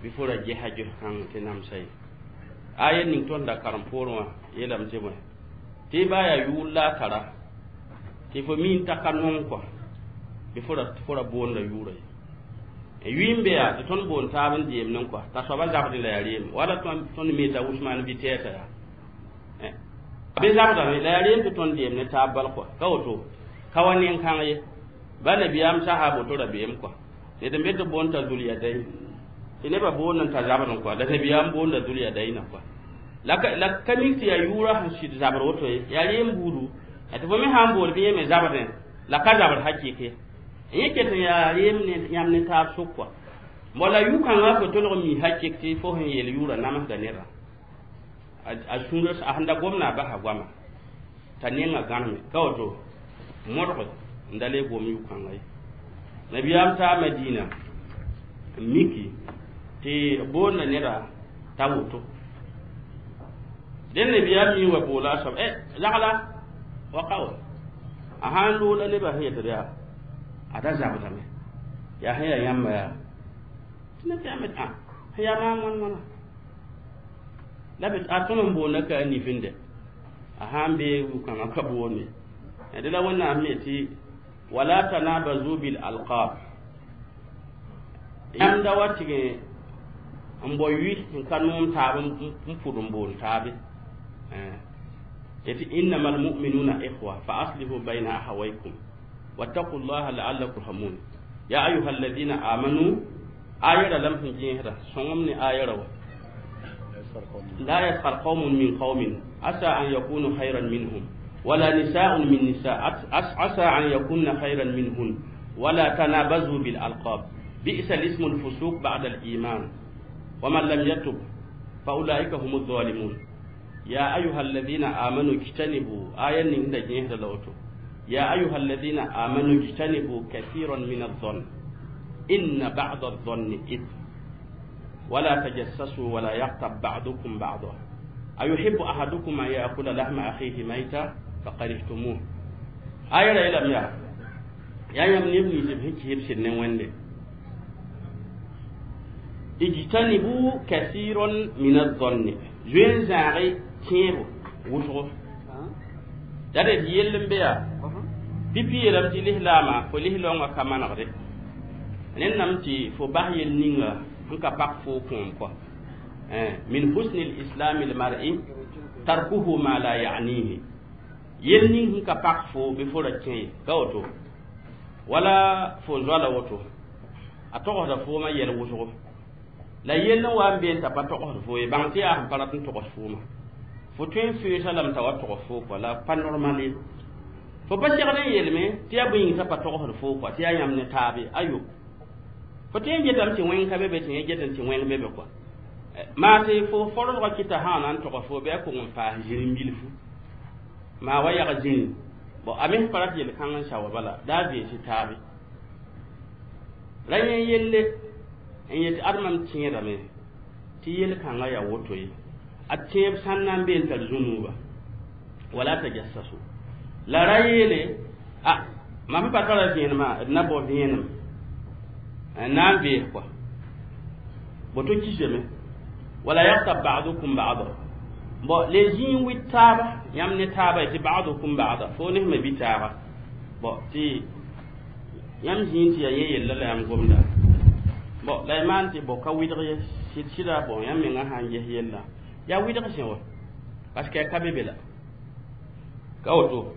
[SPEAKER 1] bɩ fo ra gɛsa ges-kãng tɩ namsa ye. A yel ning tõnd da karem poorẽ wã yeelame tɩ bõe tɩ baa yaa yʋʋl la a tara tɩ fo mi n ta ka nong kɔa bɩ fo ra boonda yʋʋra ye. Yʋɩ n be yaa tɩ tõnd boond taab n deemd n kɔa t'a soaba zabdẽ la yaa reem wala tõnd mi t'a Usmaan vitɛɛsã yaa be zabdame la yaa reem tɩ tõnd deem ne taab bal kɔa ka woto ka wa nen-kãng ye. Ba nabiyaam sahab woto rabeem kɔa ned n be tɩ boond t'a Zulyadayn tɩ nebã boond n ta zabd n kɔa la nabiyaam boonda Zulyadayna kɔa la ka mik tɩ yaa yʋʋrã sẽn sɩd zabr woto ye yaa reem buudu tɩ fo me sã n bool bɩ yẽ me zabdẽ la ka zabr hakɩk ye. Yẽ ket n yaa reem ne yãmb ne taab sʋk kɔa mo la yʋ-kãngã fo tolg n mi hakɩk tɩ fo sẽn yeel yʋʋrã namsda nedã a sũurã a sẽn da gomna a basa goama t'a nengã gãneme ka woto modg n da le gom yʋ-kãngã ye. Nabiyaam taa Madina n miki tɩ boonda neda t'a woto dẽn nabiyaam mi wa boola a soab lagla wa ka wa a sãn loola nebã sẽn yetd yaa a da zabdame yaa sẽn yaa yãmba yaa tɩ nabiyaam yet ã sẽn yaa maam wãn wãna la b a tõnd n boonda ka a nifinde a sãn bee yʋ-kãngã ka boonde dẽ la Wẽnnaam me tɩ wala tanabazu bil alqab yãmb da wa tɩg n bao yʋ n ka noom taab n pʋd n boon taabe yetɩ innama almuminuna ikhwa fa aslihu bayna ahawaykum wattaqu llaha laallakum turhamun ya ayuha alladina amanu ayara lam sẽn gẽesda sõngem ne ayara wa la yaskhar qawmun min qawmin asa an yakunu khayran minhum wala nisa'un min nisa asa an yakunna khayran minhun wala tanabazu bil alqab bi'sa al-ismu al-fusuq ba'da al-iman wa man lam yatub fa ulaika humu dhalimun ya ayuha alladhina amanu ijtanibu ayan ning da gẽesda la woto ya ayuha alladhina amanu ijtanibu kathiran min adh-dhann inna ba'da adh-dhanni ithm wala tajassasu wala yaghtab ba'dukum ba'da ayuhibbu ahadukum an ya'kula lahma akhihi mayta fakarihtumuh aya ra yeelame yaa yaa yãmb neb nins b sẽn kɩsb sɩd ne Wẽnde ijtanibu kathiran min adh-dhanni zoe n zãage tẽebo wʋsgo la d yell n be yaa pipi yeelame tɩ lislaamã fo lislaoongã ka manegde ned nam tɩ fo bas yel ninga sẽn ka pak fo kõom kɔa min husni lislami lmar'i tarkuhu ma la ya'nihi yel ning sẽn ka pak fo bɩ fo ra kẽ ye ka woto wala fo zoala woto a togsda foomã yɛl wʋsgo la yell n wa n bee n t'a pa togsd fo ye bãng tɩ yaa sẽn pa rat n togs foomã fo tõe n feesa lame t'a wa togs fo kɔa la pa normal ye fo pa segd n yeelme tɩ yaa bõe yĩng t'a pa togsd fo kɔa tɩ yaa yãmb ne taabe ayo Fo tõe n getame tɩ wẽng ka be be tɩ yẽ get n tɩ wẽng be be kɔa. Maa tɩ fo forosgã kɩta sã na n tɔga fo bɩ a kong n paas zĩrim bilfu maa wa yag zĩri bon a mes pa rat yel-kãng n sawa bala daa vẽes taabe ra yẽ yelle n yet ad mam tẽedame tɩ yel-kãngã yaa woto ye a tẽeb sãn na n be n tar zũnuuba wala tajassasu la ra yeele a mam pa tara vẽenemã d na bao vẽenem n na n vees kɔa boto kisame wala yaghtab ba'dukum ba'da bon les zĩig wɩt taaba yãmb ne taaba tɩ ba'dukum ba'da fo ne sẽn bɩ taaga bon tɩ yãmb zĩig tɩ yaa yẽ yella la yãmb gomda bon la y maan tɩ bo ka wɩdg ye sɩd sɩda bon yãmb mengã sã n ges yella yaa wɩdg sẽ wa parce que a ka be be la ka woto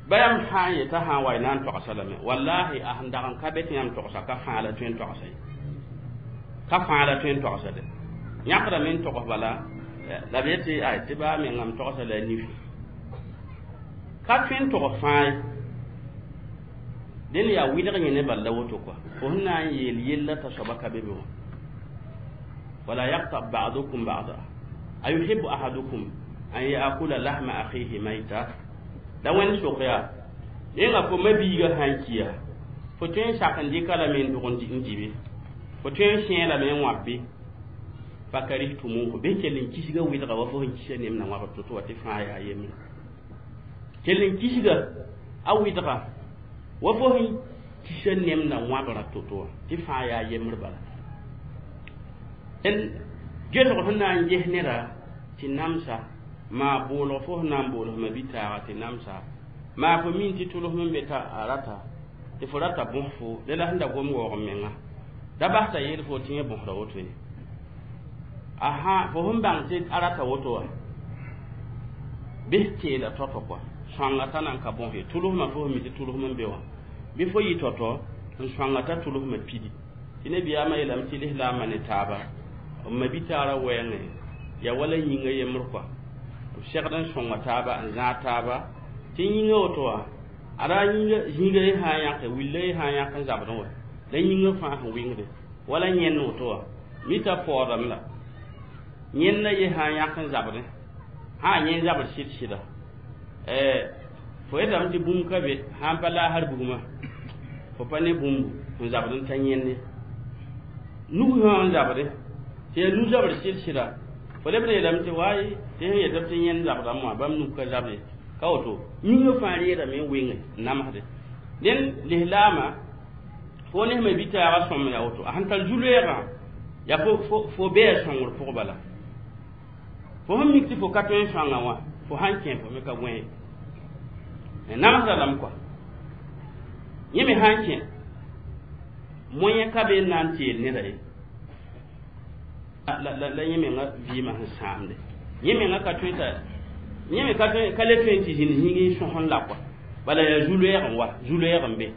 [SPEAKER 1] ba yãmb sã n yeta sã n wa y na n togsa lame wallahi a sẽn dag n ka be tɩ yãmb togsa ka fãa la tõe n togsa ye ka fãa la tõe n togsa de yãkdame n togs bala la b yetɩ ay tɩ baa mengame togsa la a nifi ka tõe n togs fãa ye dẽnd yaa wɩdg yẽ ne bal la woto kɔa fo sẽn na n yeel yella t'a soaba ka be be wã wala yaghtab ba'dukum ba'da ayuhibbu ahadukum an ya'kula lahma akhihi mayta la wẽnd sok yaa yẽnga fo ma-biigã sã n kiya fo tõe n sak n dɩka lame n dog n dɩbe fo tõe n sẽe lame n wãb bɩ fakarihtumuhu bɩ kell n kisga wɩdga wa fo sẽn kisa nemna wãbr to-to wa tɩ fãa yaa yembre kell n kisga a wɩdga wa fo sẽn kisa nemna wãbra to-to wã tɩ fãa yaa yembr bala gesg sẽn na n ges neda tɩ namsa maa boolg fo sẽn na n boolg ma bi-taaga tɩ namsa maa fo min tɩ tʋlsem n be t'a a rata tɩ fo rata bõs fo le la sẽn da gom waoog n menga da bas t'a yeel fo tɩ yẽ bõsda woto ye aha fo sẽn bãng tɩ a rata woto wa bɩs teela tɔtɔ kɔa sõanga t'a na n ka bõs ye tʋlsmã fo sẽn mi tɩ tʋlsem n be wã bɩ fo yɩ tɔtɔ n sõanga t'a tʋlsmã pidi tɩ nebiyaamã yeelame tɩ lislaambã ne taaba b ma-bi-taarã wɛɛngẽ yaa wala yĩngã yembr kɔa b segd n sõnga taaba n zãag taaba tɩ yĩngã woto wã ada yĩnga zĩiga ye sã n yãke willa ye sã n yãk n zabdẽ wa la yĩngã fãa sẽn wɩngde wala yẽnd woto wã mita paoodame la yẽnda ye sã n yãk n zabdẽ sã n yẽ zabr sɩd sɩda fo yetame tɩ bũmb ka be sã n pa laasr bugmã fo pa ne bũmbu n zabd n ta yẽnde nug sã n zabdẽ tɩ yaa nu-zabr sɩd sɩda fo leb n yeelame tɩ waay tɩ sẽn yetame tɩ yẽnd zabdame wã bãmb nug ka zabd ye ka woto yĩngã fãa reedame n wenge n namsde dẽnd lislaamã fo ne sẽma bi-taagã sõm yaa woto a sẽn tar zu-loeegã yaa fo bɩa sõngr pʋg bala fo sẽn mik tɩ fo ka tõe n sõanga wã fo sãn kẽ fo me ka gõe namsda lame kɔa yẽ me sãn kẽ moyẽ ka be n na n teel neda ye la yẽ mengã vɩɩmã sẽn sãamde yẽ mengã ka tõe t'a yẽ me ka tõe ka le tõe n tɩ zĩnd zĩig n sõs n la kɔa bala yaa zu-loeeg n wa zu-loeeg n be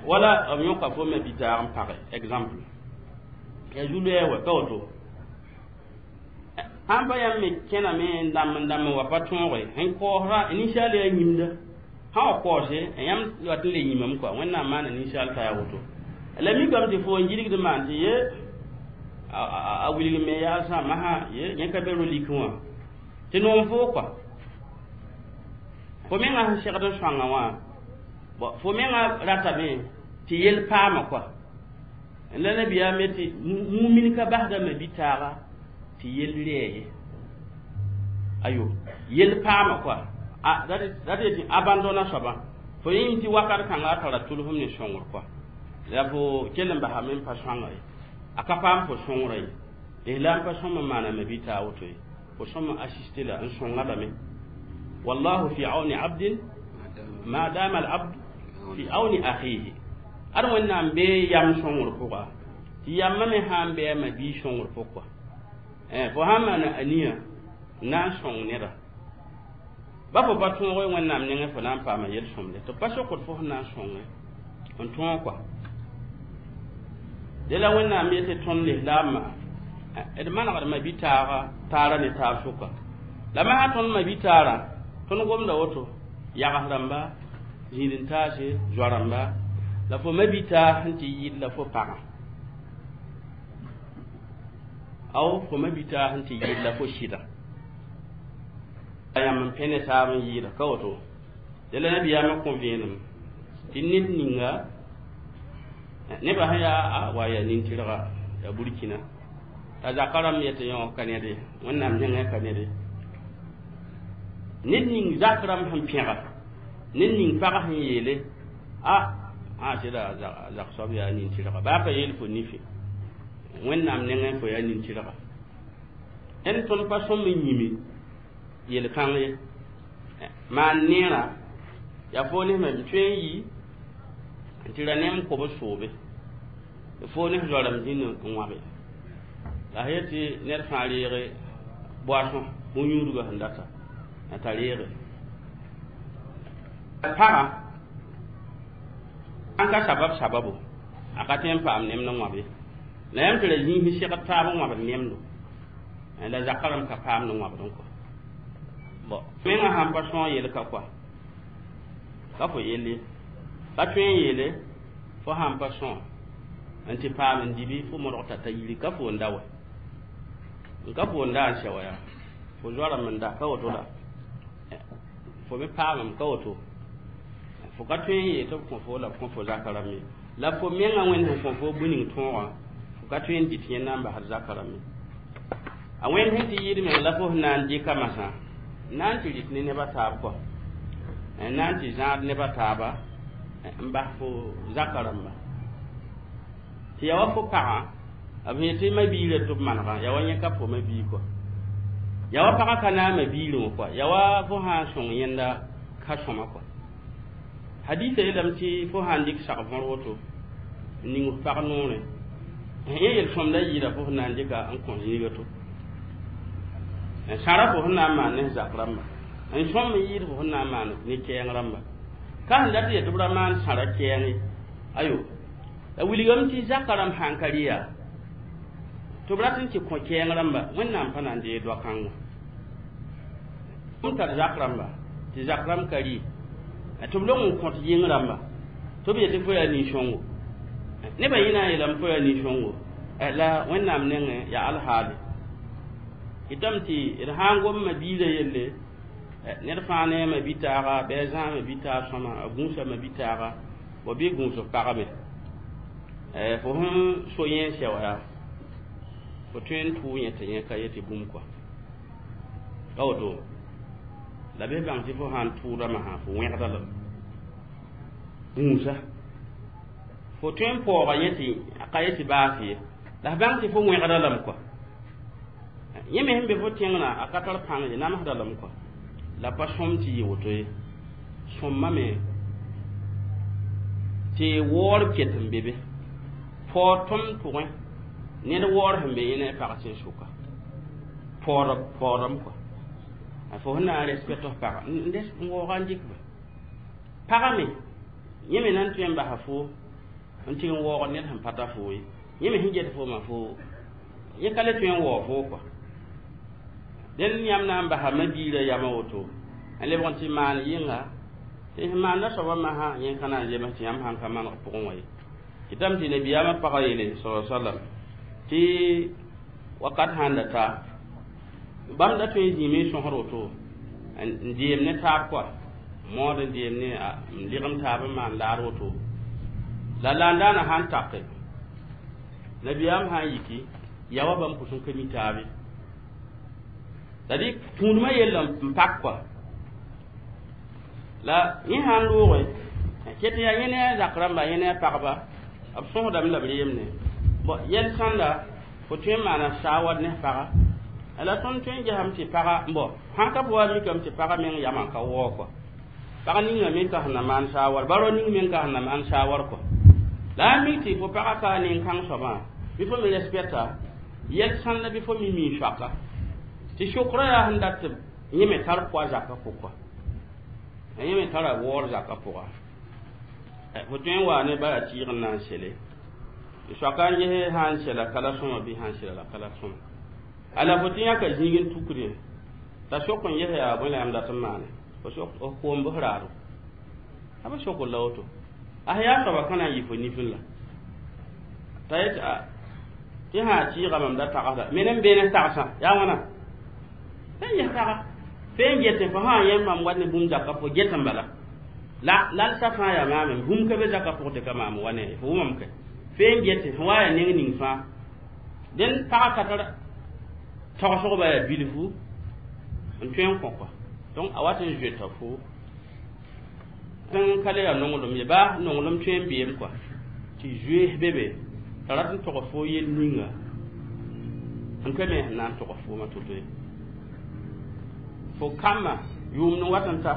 [SPEAKER 1] wala b yõka fo me bi-taag n page exemple yaa zu-loeeg wa ka woto sãn pa yãmb me kẽname n dãmb n dãmb n wa pa tõoge sẽn kaoosra ninsaal yaa yĩmda sã wa kaoose yãmb wat n le yĩmame kɔa wẽnnaam maana ninsaal t'a yaa woto la mikame tɩ fo n gilgd n maan tɩ ye a wilg me yaa sã masã ye yẽ ka be ro-likẽ wã tɩ noom foo kɔa fo mengã sẽn segd n sõanga wã fo mengã ratame tɩ yel paama kɔa la nabiyaam tɩ mumin ka basdame bi-taaga tɩ yel rɛɛ ye ayo yel paama kɔa rat yetɩ abandona soabã fo yĩm tɩ wakat kãnga a tara tʋlsem ne sõngr kɔa la fo kell n basame n pa sõanga ye a ka paam fo sõngrã ye lislaam pa sõm n maaname bi-taa woto ye fo sõm n assiste la n sõnga lame wallahu fi auni abdin ma dama al abd fi auni akhihi ad wẽnnaam bee yam sõngr pʋga tɩ yambã me sã n bɩ a ma-bii sõngr pʋg kɔa fo sã n maana aniya n na n sõng neda ba fo pa tõog wẽnnaam nengẽ fo na n paama yel-sõmde tɩ pa sokd fo sẽn na n sõnge n tõog kɔa de la wẽnnaam yetɩ tõnd lislaambã d manegd ma-bi-taaga taara ne taab sʋka la masã tõnd ma-bi-taarã tõnd gomda woto yags rãmba zĩid n taase zoa rãmba la fo ma-bi-taa sẽn tɩ yɩl la fo pagã Aw fo ma bita sẽn tɩ yɩɩd la fo sɩda a yãmb n pẽ ne taab n yɩɩda ka woto dẽ la nabiyaamã kõ vẽenem tɩ ned ninga nebã sẽn yaa a wa yaa nin-tɩrga yaa burkina t'a zaka rãmb yetɩ yõ ka ned ye wẽnnaam nengẽ ka ned ye ned ning zak rãmb sẽn pẽga ned ning pag sẽn yeele a a sɩda zak soab yaa nin-tɩrga baa pa yeel fo nife wẽnnaam nengẽ fo yaa nin-tɩrga d tõnd pa sõm n yĩme yel-kãng ye maan neerã yaa fo ne me tõe n yi n tɩ ra nem kob soobe fo ne zoarame zĩnd n wãbe la sã yetɩ ned fãa reege boisson bõn-yũudgã sẽn data t'a reege pagã sãn ka sabab sababo a ka tõe n paam nemd n wãbe la yãmb tɩ ra zĩis segd taab n wãbd nemdo la zaka rãmb ka paamd n wãbd n kɔ bon menga sãn pa sõog yel ka koa ka fo yell ye ka tõe n yeele fo sãn pa sõog n tɩ paam n dibi fo modg t'a ta yiri ka fo n da wɛ n ka fo n da n sɛ wa yaa fo zoarame n da ka woto la fo me paamame ka woto fo ka tõe n yeel tɩ b kõ fo la b kõ fo zaka rãmb ye la fo menga wẽnd sẽn kõ fo bũ ning tõogã fo ka tõe n dɩt yẽnda n basd zaka rãmb ye a wẽnd sẽn tɩ yɩɩd meng la fo sẽn na n dɩka masã n na n tɩ rɩt ne nebã taab kɔ n na n tɩ zãad nebã taaba n bas fo zaka rãmba tɩ yaa wa fo pagã b sẽn tɩ ma-biirã tɩ b manegã yaa wa yẽ ka fo ma-biig kɔ yaa wa pagã ka naam ma-biirẽ wã kɔa yaa wa fo sã n sõng yẽnda ka sõma kɔa hadisa yeelame tɩ fo sã n dɩk sag võr woto n ning f pag noorẽ yẽ yel-sõmda yɩɩda fo sẽn na n dɩka n kõ zĩiga to n sãra fo sẽn na n maan ne zak rãmba n sõm n yɩɩd fo sẽn na n maan ne kɛɛng rãmba ka sẽn dat yet tɩ b ra maan sãra kɛɛng ye ayo la wilgame tɩ zaka rãmb sãn ka rɩ yaa tɩ b rat n tɩ kõ kɛɛng rãmba wẽnnaam pa na n deeg doa-kãngã m tar zak rãmba tɩ zak rãmb ka rɩ tɩ b long n kõt yɩng rãmba tɩ b yetɩ fo yaa nin-sõngo nebã yẽ na n yeelame fo yaa nin-sõngo la wẽnnaam nengẽ yaa alhaale kɩtame tɩ d sã n gom ma-biirã yelle ned fãa ne a ma-bi-taaga bɩ a zãag ma-bi-taag sõma a gũusa ma-bi-taaga bõ bɩ gũus f pagame fo sẽn so yẽ n sɛ wa yaa fo tõe n tʋʋ yẽ tɩ yẽ ka yetɩ bũmb kɔa ka woto la bɩ bãng tɩ fo sã n tʋʋda masã fo wẽgda lame gũusa fo tõe n paooga yẽ tɩ a ka yetɩ baas ye la f bãng tɩ fo wẽgda lame kɔa yẽ me sẽn be fo tẽngrã a ka tar pãng ye namsda lame kɔa la pa sõm tɩ yɩ woto ye sõmma me tɩ waoor ket n be be paood tõnd pʋgẽ ned waoor sẽn be yẽ ne a pag tẽn-sʋka paoodame kɔa fo sẽn na n respect f paga n waooga n dɩk ba paga me yẽ me na n tõe n basa fo n tɩ n waoog ned sẽn pa ta fo ye yẽ me sẽn get foomã fo yẽ ka le tõe n waoog fo kɔa dẽnd yãmb na n basa ma-biirã yamã woto n lebg n tɩ maan yɩnga tɩ sẽn maanda soabã masã yẽ ka na n zems tɩ yãmb sãn ka maneg pʋgẽ wã ye kɩtame tɩ nabiyaamã pagã yeele sa sallam tɩ wakat sãn da ta bãmb da tõe n zĩime n sõsd woto n deem ne taab kɔa mood n deem ne n lɩgem taab n maan laar woto la laandaana sãn take nabiyaam sã n yiki yaa wa bãmb pʋs n ka mi taabe c'est-à-dire tũudmã yell n pak kɔa la yẽ sã n looge ket yaa yẽ ne a zak rãmba yẽ ne a pagba b sõsdame la b reemne bon yɛl sãnda fo tõe n maana saawad ne paga la tõnd tõe n gesame tɩ paga bon sãn ka wa mikame tɩ paga meng yamã ka waoog kɔa pag ninga me ka sẽn na maan saawar baro ning meng ka sẽn na maan saawar kɔa la a mik tɩ fo paga ka nin-kãng soabã bɩ fo me respecta yɛl sãnda bɩ fo mi mii soaka tɩ sʋkrã yaa sẽn dat tɩ yẽ me tar poa zakã pʋga yẽ me tara waoor zakã pʋga fo tõe n waa ne bara tɩɩg n na n sele soaka n ges sã n sela ka la sõma bɩ sã n sela la ka la sõma ala fo tɩ yãka zĩig n tukre t'a sok n ges yaa bõe la yãmb dat n maane fo sok f koom bs raado a ba sok la woto a sẽn yaa soaba ka na n yɩ fo nifẽ la t'a yet a Tɩ sã tɩɩga mam da tagsda me ne n beene tagsã yaa wãna fẽn ges taga fẽn getẽ fo sã yẽ mam wat ne bũmb zakã fo get n bala la lalsa fãa yaa maame bũmb ka be zakã pʋgẽ tɩ ka maam wa ne fo wʋmam kɛ fẽn getẽ sẽn wa yaa neng ning fãa dẽn pagã ka tar tagsgba yaa bilfu n tõe n kõ kɔa donc a wat n zoeta fo n ka le yaa nonglem ye baa nonglem tõe n beem kɔa tɩ zoees be be t'a rat n tog fo yel ninga n ka me sẽn na n tog fooma to-to ye fo kambã yʋʋmd n wat n ta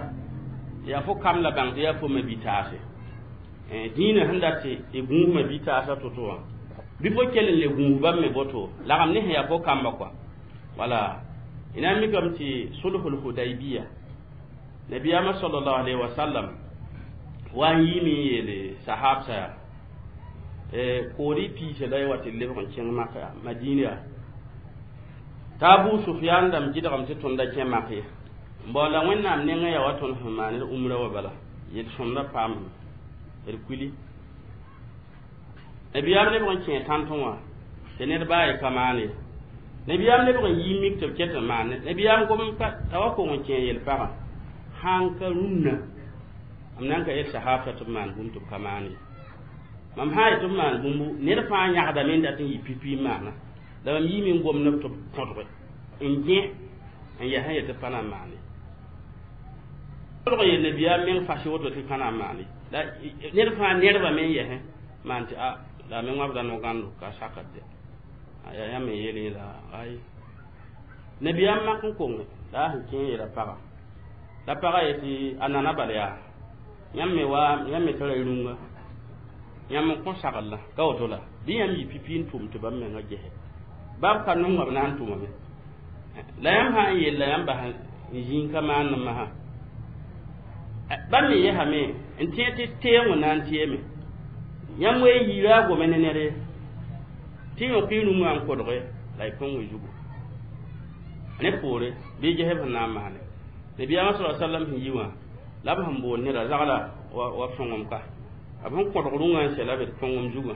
[SPEAKER 1] yaa fo kam la bãng tɩ yaa fo ma-bi-taase dĩinã sẽn dat tɩ y gũus ma-bi-taasã to-to wã bɩ fo kell n le gũus bãmb me boto lagem ne sẽn yaa fo kamba kɔa wala y na n mikame tɩ sulhul hudaybiya nabiyaamã sallallahu alaihi wa sallam wa n yiime n yeele sahabsã yaa kood y piisa la y wa tɩ lebg n kẽng maka madina yaa t'a abu sufyan dãmb gɩdgame tɩ tõnd da kẽ mak ye bon la wẽnnaam nengẽ yaa wa tõnd sẽn maan d umra wa bala yel-sõmdã paam d kuli nabiyaam lebg n kẽ tãntẽ wã tɩ ned baa ye ka maan ye nabiyaam lebg n yi mik tɩ b ket n maan nabiyaam gom t'a wa kong n kẽ yel-pagã sãn ka rũnnã m na n ka yel sahabsã tɩ b maan bũmb tɩ b ka maan ye mam sã n yet b maan bũmbu ned fãa yãgdame n dat n yɩ pipi n maana la mam yiime n gomd tɩ b kõdge n gẽ n yaa sẽn yet tɩ pa na n maane kolg yel nabiyaam meng fas woto tɩ pa na n maane la ned fãa nedbame n yɛsẽ maan tɩ a la me wãbda no-gãndo ka sakd yaa yãmb n yeel la ay nabiyaam mak n konge la a sẽn kẽ yeela paga la paga yetɩ a nana bala yaa yãmb me wa yãmb me tara rũngã yãmb n kõ sagl ka woto la bɩ yãmb yɩ pipi n tʋm tɩ bãmb menga gese bab ka nonga b na n tʋmame la yãmb sã n yell la yãmb bas n zĩig ka maan masã bãmb me yesame n tẽ tɩ teego na n tɩame yãmb wee yiira a gome ne ned ye tɩ yõk y rũngã n kodge la y põng y zugu ne poore bɩ ges b sẽn na n maane nabiyaamã sa sallam sẽn yi wã la b sẽn bool neda zagla wa sõngem ka b sẽn kõdg rũngã n sɛla b d põngem zugã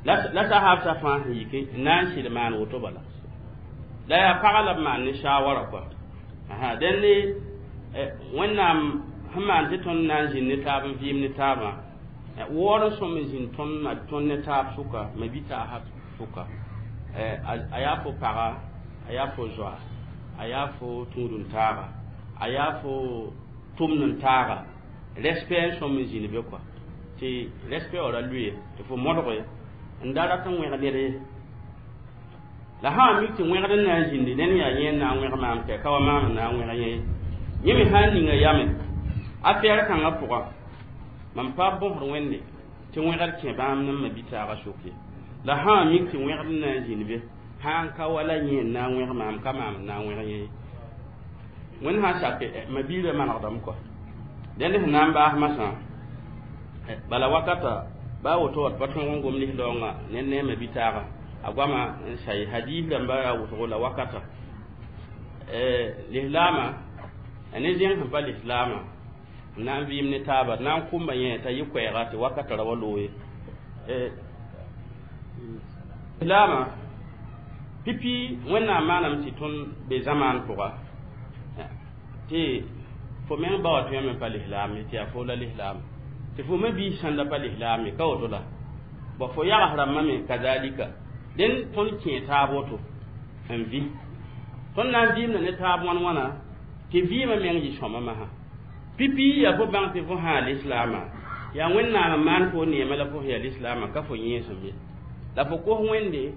[SPEAKER 1] la sahabsã fãa sẽn yike n na n sɩd maan woto bala la yaa pagã la b maan ne shawara kɔa dẽn ne wẽnnaam sẽn maan tɩ tõnd na n zĩnd ne taab n vɩɩm ne taabã waoor n sõm n zĩnd tõnd ne taab sʋka ma-bi-taasã sʋka a yaa fo paga a yaa fo zoa a yaa fo tũud n taaga a yaa fo tʋmd n taaga respect n sõm n zĩnd be kɔa tɩ respect wã ra lʋɩ tɩ fo modge n da rat n wẽg ned ye la sã n mik tɩ wẽgd n na n zĩndi ned yaa yẽ n na n wẽg maam kɛ ka wa maam n na n wẽg yẽ yẽ me sã n ninga yame a fɛɛr kãngã pʋga mam pa bõsd wẽnde tɩ wẽgd kẽ bãmb ne ma bi-taagã sok ye la sã n mik tɩ wẽgd n na n zĩnd be sã n ka wala yẽ n na n wẽg maam ka maam n na n wẽg yẽ wẽnd sã n sak ma biirã manegdame kɔa dẽnd sẽn na n baas masã bala wakata baa woto wat pa tõog n gom lislaoongã ned ne a ma-bi-taagã a goama n say hadis rãmba yaa wʋsgo la wakata lislaamã ne zẽng sẽn pa lislaamã n na n vɩɩm ne taaba na n kʋmba yẽ t'a yɩ koɛɛga tɩ wakata ra wa loog ye lislaamã pipi wẽnnaam maaname tɩ tõnd be zamaan pʋga tɩ fo meng ba wa tõe me pa lislaam ye tɩ yaa fo la lislaam tɩ fo me biis sãn da pa lislaam ye ka woto la bõ fo yags rãmbã me kazalika dẽn tõnd kẽe taab woto n vɩ tõnd na n vɩɩmda ne taab wãn wãna tɩ vɩɩmã meng yɩ sõma masã pipi yaa fo bãng tɩ fo sã lislaamã yaa wẽnnaam n maan fo neema la fo sẽn yaa lislaamã ka fo yẽesem ye la fo kos wẽnde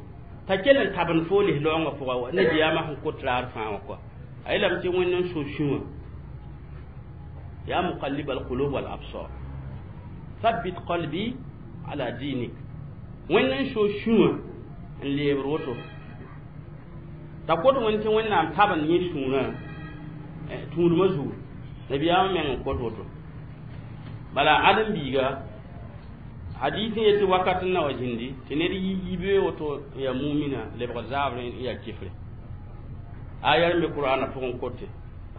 [SPEAKER 1] t'a kell n tabend fo lislaoongã pʋga wa nabiyaamã sẽn kot raar fãa wã kɔa a yeelame tɩ wẽnd n so sũwã ya muqallib alqulub wal absar thabbit qalbi ala dinik wẽnd n so sũwã n leebr woto t'a kot wẽnd tɩ wẽnnaam tabend yẽ sũurã tũudmã zugu nabiyaamã meng n kot woto bala ãdem-biiga hadis n yetɩ wakat n na wa zĩndi tɩ ned yi yibe woto n yaa mumina lebg zaabr n yaa kifre aya n be qur'ana pʋgẽ kote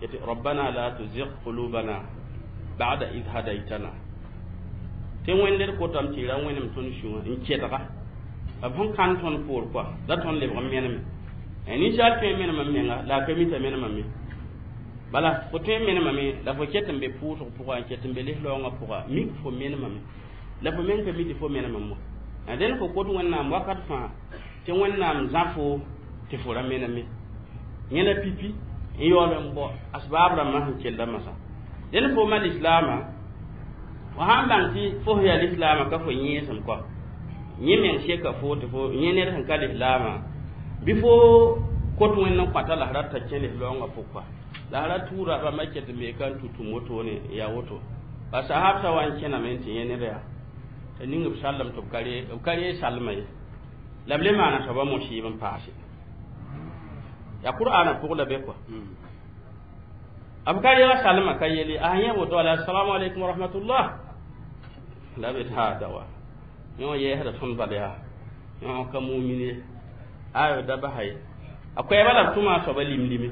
[SPEAKER 1] yetɩ rabbana la tuzigh qulubana ba'da id hadaytana tɩ wẽnd d kotame tɩ y ra wẽnem tõnd sũwã n kɛdga B sẽn kãn tõnd poor kɔa la tõnd lebg n meneme. Ninsaal tõe n menemame menga la a ka mi t'a menemame. Bala fo tõe n menemame la fo ket n be pʋʋsg pʋga n ket n be lis-raoongã pʋga mik fo menemame la fo meng ka mi tɩ fo menemame wa. Dẽn fo kot Wẽnnaam wakat fãa tɩ Wẽnnaam zã fo tɩ fo ra meneme. Yẽ la pipi n yaool n bao asbaab rãmbã sẽn kella masã. Dẽn fo ma lislaamã fo sãn bãng tɩ fo sẽn yaa lislaamã ka fo yẽesem kɔa yẽ meng seka fo tɩ fo yẽ ned sẽn ka lislaamã bɩ fo kot Wẽnd n kõta la f rat t'a kẽ lislaoongã pʋg kɔa la f ra tuura bãmba ket n bee ka n tũ-tũm wotone n yaa woto. Ba sahab sa wa n kẽname n tɩ yẽ ned yaa t'a ning b sallem tɩ b ka ree salmã ye la b le maana soaba mosɩɩb n paase. Yaa Qur'aanã pʋg la be kɔa b ka reega salmã ka yele a yẽ woto ala assalamu alaikum wa rahmatullah la b taa dawa yõ yɛɛsda tõnd bal yaa yõ ka mumin ye ayo da basa ye a koɛɛba la b tʋma a soaba limlime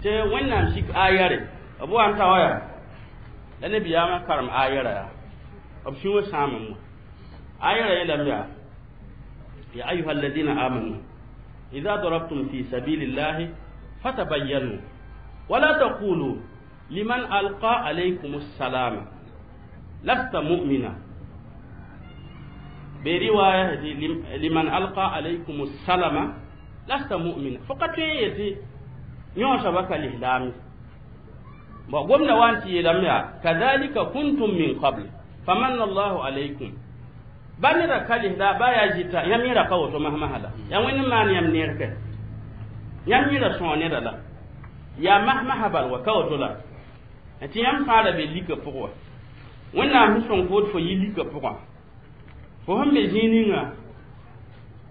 [SPEAKER 1] tɩ Wẽnnaam sik ayare b wa n ta wa yaa la nabiyaamã karem ayara yaa b sũwã sãamame wã ayara yeelame yaa ya ayuha alladina amanu idha darabtum fi sabilillahi fatabayyanu wala taqulu liman alqa alaykum assalama lasta mu'mina be riwaya liman alqa alaykum assalama lasta mu'mina fo ka tõe n yetɩ yõ soaba ka lislaam bon gomda wa n tɩ yeelame yaa kadhalika kuntum min qabl famanna allahu alaykum ba neda ka lisla ba yaa zɩta yãmb yẽra ka woto masmasã la yaa Wẽnd n maan yãmb neer kɛ yãmb yẽra sõo neda la yaa masmasã bal wa ka woto la tɩ yãmb fãa ra be lika pʋgẽ wa Wẽnnaam sẽn sõng fo tɩ fo yɩ lika pʋgã fo sẽn be zĩig ninga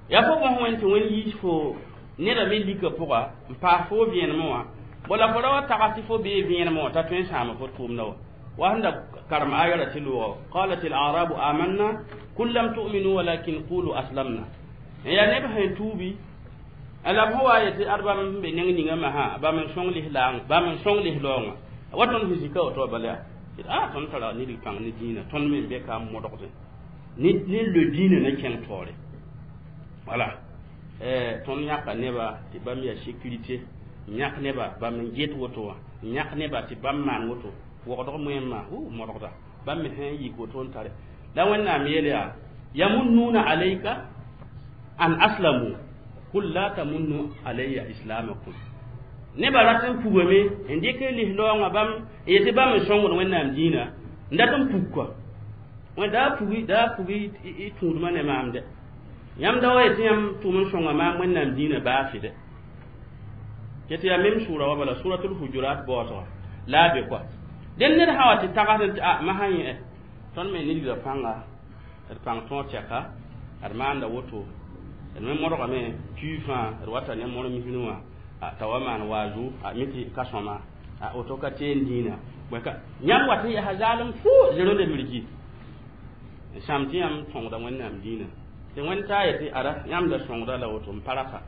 [SPEAKER 1] yaa fo bõs Wẽnd tɩ Wẽnd yiis fo neda me lika pʋga n paas fo vẽenemẽ wã bo la fo ra wa tags tɩ fo bee vẽenemẽ wã t'a tõe n sãama fo tʋʋmdã wa wa sẽn da karem ayara tɩ loogã qalat al arabu amanna kul lam tu'minu walakin qulu aslamna n yaa neb sẽn tuubi la b sẽn wa yetɩ ad bãmb sẽn be neng ninga masã bãmb n sõng lislaang bãmb n sõng lislaoongã wa tõnd sẽn zika woto bala yaa a tõnd tara nidg pãng ne dĩinã tõnd me n be ka n modgdẽ ne lo dĩinã na kẽng taoore wala tõnd yãka neba tɩ bãmb yaa sécurité n yãk neba bãmb n get woto wã n yãk neba tɩ bãmb maan woto wogdg moẽmã modgda bãmb me sẽn yik woto n tare la Wẽnnaam yeel yaa yamunnuna alayka an aslamu kul la tamunnu alayya islamakum neba rat n pugame n dɩk lislaoongã bãmb n yetɩ bãmb n sõngd Wẽnnaam dĩinã n dat n pug kɔa wẽ daa pugi y tũudmã ne maam dɛ yãmb da wa yetɩ yãmb tʋm n sõnga maam Wẽnnaam dĩinã baasɩ dɛ ket yaa mem sʋʋra wa bala suratul hujurat baoosga la a be kɔa dẽn ned sã wa tɩ tagsd tɩ a masã yẽ tõnd me nidgrã pãnga d pãng tõog tɛka d maanda woto d me modgame tui fãa d wata ne mor misrẽ wã t'a wa maan waazu a mi tɩ ka sõma a woto ka teen dĩinã yãmb wat n yaa zaalem fo zerõnde mirki n sãam tɩ yãmb sõngda Wẽnnaam dĩinã tɩ Wẽnd taa yetɩ ara yãmb da sõngda la woto n pa rata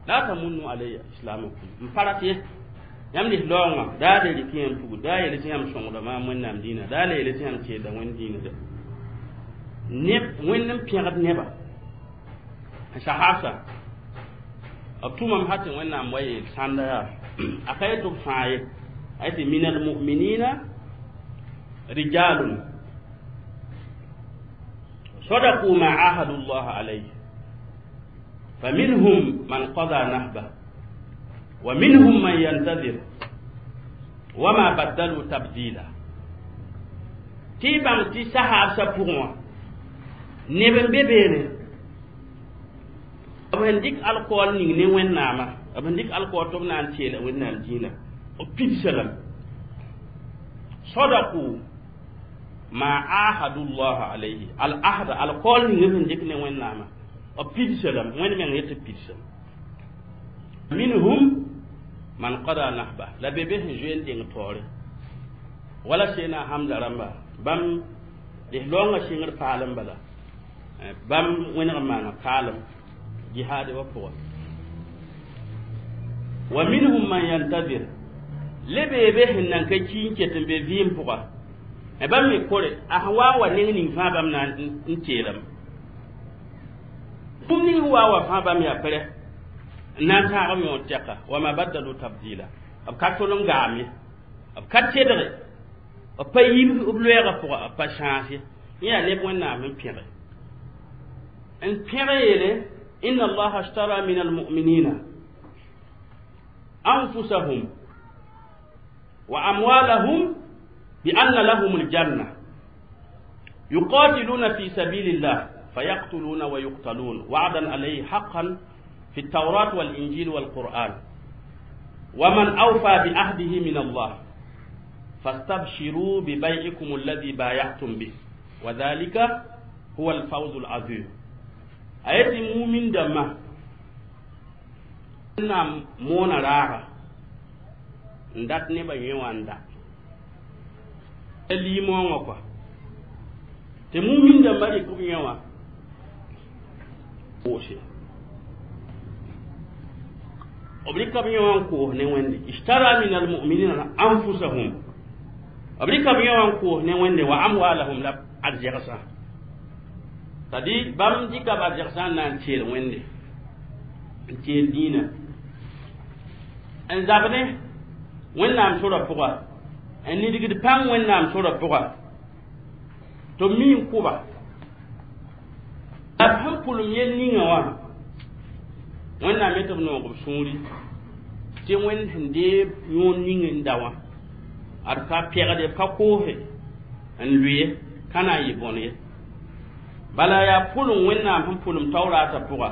[SPEAKER 1] la tamunnu alayya islamakum n pa rat ye yãmb lislaoongã daa le rɩk yãmb pugr daa yele tɩ yãmb sõngda maam Wẽnnaam dĩinã daa le yele tɩ yãmb teelda Wẽnd dĩinã dɛ neb Wẽnd n pẽgd neba sahabsa b tʋmame sã tɩ Wẽnnaam wa yeel sãnda yaa a ka yetɩ b fãa ye a yetɩ min almuminina rijalun sadaqu ma ahadu llah alayhi faminhum man qada nahba wa minhum man yantazir wama baddalu tabdila tɩ y bãng tɩ sahaabsã pʋgẽ wã neb n be beene b sẽn dɩk alkool ning ne Wẽnnaamã b sẽn dɩk alkool tɩ b na n teela Wẽnnaam dĩinã b pidsa lame sadaqu ma ahadu llah alayhi al ahda alkool ning b sẽn dɩk ne Wẽnnaamã b pidsa lame Wẽnd meng yetɩ pidsame minhum man qada nahba la be be sẽn zoe n deng taoore wala seena Hamza rãmba bãmb lislaoongã sɩngr paalem bala bãmb wẽneg n maana kaalem jihaade wa pʋga wa minhum man yantazir le beebe sẽn nan ka ki n ket n be vɩɩm pʋga Bãmb me kore a sẽn wa n wa neng ning fãa bãmb na n teelame. Bũmb ning sẽn wa n wa fãa bãmb yaa pɛrɛ n na n tãag b yõod tɛka wa ma baddalu tabdila. B ka tol n gaam ye, b ka tedge, b pa yib b loɛɛgã pʋga, b pa sãas ye. Yẽ yaa neb Wẽnnaam n pẽge n pẽg yeele inna allaha ashtara min almuminina anfusahum wa amwalahum bi anna lahum aljanna yuqatiluna fi sabilillah fayaqtuluna wa yuqtalun wa'dan alayhi haqqan fi التوراة والإنجيل والقرآن ومن أوفى بعهده من الله فاستبشروا ببيعكم الذي بايعتم به وذلك هو الفوز العظيم. ayati mumin dama na moona raaga n dat nebã yẽ wã n da liimoongã kɔa tɩ mumin dãmbã rɩk b yẽ wã koose b rɩka b yẽ wã n koos ne Wẽnde ishtara min almuminina anfusahum b rɩka b yẽ wã n koos ne Wẽnde wa amwalahum la arzɛgsã. C'est-à-dire bãmb dɩka b arzɛgsã n na n teel Wẽnde n teel dĩinã n zab ne Wẽnnaam sorã pʋga n nidgd pãng Wẽnnaam sorã pʋga tɩ b mi n kʋba la b sẽn pʋlem yel ninga wã Wẽnnaam yetɩ b noog b sũuri tɩ Wẽnd sẽn deeb yõod ning n da wã ad ka pɛgde b ka koose n lʋɩ ka na n yɩ bõn ye. Bala yaa pʋlem Wẽnnaam sẽn pʋlem Taorata pʋga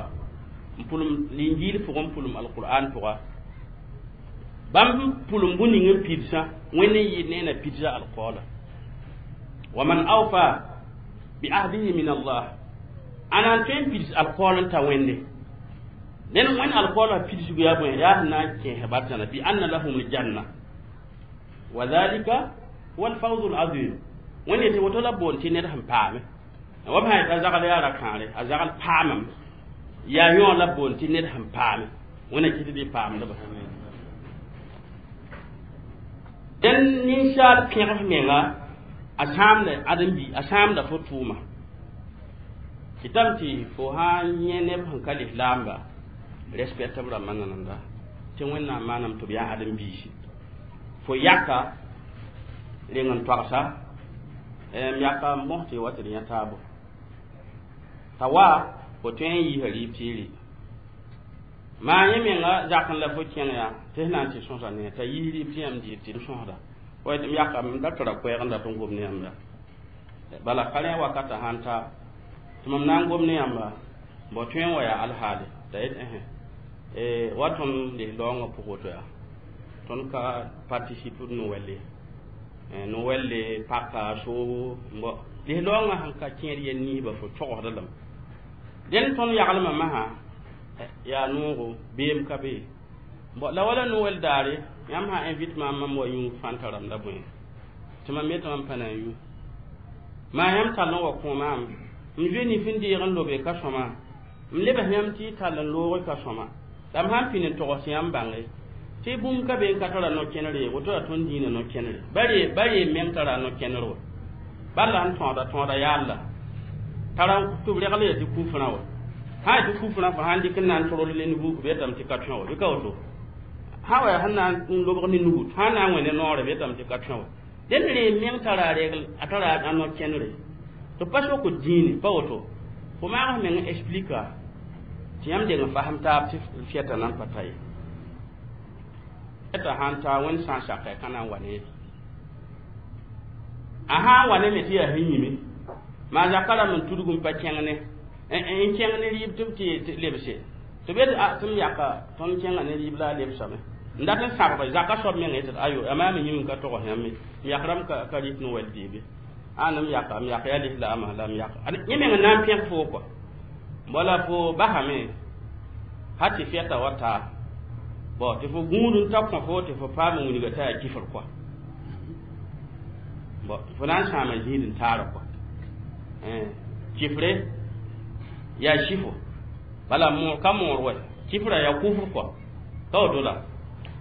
[SPEAKER 1] n pʋlem Linjiil pʋgẽ n pʋlem Alqur'an pʋga bãmb pʋlem bũn ning n pidsã Wẽnd n yɩɩd ne na pidsa alqaola wa man awfa bi ahdihi min Allah ana n tõe n pids alqaol n ta Wẽnde dẽn Wẽnd alqaola pidsgu yaa bõe yaa sẽn na n kẽes bartãna bi anna lahum aljanna wa dhalika huwa alfawzu alazim. Wẽnd yetɩ woto la boond tɩ ned sẽn paame wa b sã yetɩ a zagl yaa ra-kãare a zagl paamame yaa yõ la boond tɩ ned sẽn paame Wẽnna kɩt tɩ paamdba. Dẽn ninsaal pẽgs menga a sãamda ãdem-bi a sãamda fo tʋʋma kɩtame tɩ fo sã n yẽ neb sẽn ka lislaamba respect b rãmbã nananda tɩ Wẽnnaam maanam tɩ b yaa ãdem-biisi fo yaka reng n togsa m yaka n bõs tɩ wa tɩ d yã taabo t'a wa fo tõe n yiisa rɩɩb tɩ y rɩ maa yẽ menga zak n la fo kẽng yaa tɩ sẽn na n tɩ sõsa ne t'a yiis rɩɩb tɩ yãmb dɩɩd tɩ d sõsda m yaka m da tara koɛɛg n dat n gom ne yãmba bala ka rẽ wakata sãn ta tɩ mam na n gom ne yãmba bõ tõe n wa yaa alhaale t'a yet wa tõnd lislaoongã pʋg woto yaa tõnd ka participe Noɛlle Noɛlle paka soobo bõ lislaoongã sẽn ka kẽed yel niisba fo togsda lame dẽn tõnd yaglmã masã yaa noogo beem ka be bõ la wala Noɛl daare yãmb sã invite maam mam wa yũ fãnta rãmb la bõe tɩ mam yetɩ mam pa na n yũ maa yãmb tall n wa kõ maam m zoe nif n deeg n lobe ka sõma m lebs yãmb tɩ y tall n looge ka sõma la m sãn pĩnd n togs tɩ yãmb bãnge tɩ bũmb ka be n ka tara no-kẽnere ye woto yaa tõnd dĩinã no-kẽnere ba ree meng tara no-kẽner wa bal la sẽn tõoda tõoda yaalla tara tɩ b regl ya tɩ kufrã wa sã tɩ kufrã fo sãn dɩk n na n torl ne nubuk b yetame tɩ ka tõe wa bɩ ka woto sã wa yaa sẽn na n lobg ne nugu sã na n wẽ ne noore b yetame tɩ ka tõe wa dẽnd ree meng tara regl a tara a no-kẽnere tɩ pa sok dĩine pa woto fo maag meng explika tɩ yãmb deng n fasem taab tɩ fiɛta nan pa ta ye t'a sãn ta Wẽnd sã n saka ka na n wa ne a sã n wa ne me tɩ yaa sẽn yĩme maa zaka rãmb n tudg n pa kẽng ne n kẽng ne rɩɩb tɩ b tɩ lebse tɩ b yet tɩ m yaka tõnd kẽnga ne rɩɩb la a lebsame n dat n sãbge zaka soab meng yetɩ ayo a maam yĩm n ka togs yãmb ye m yak rãmb ka rɩt Noɛl deebe ãn m yaka m yak yaa lislaamã la m yaka yẽ meng n na n pẽg foo kɔa wala fo basame ha tɩ fɛta wa taa bõ tɩ fo gũud n ta kõ fo tɩ fo paam n wilga t'a yaa kifr kɔa bõ fo na n sãama zĩid n taara kɔa kifre yaa sifo bala ka moor wa kifra yaa kufr kɔa ka woto la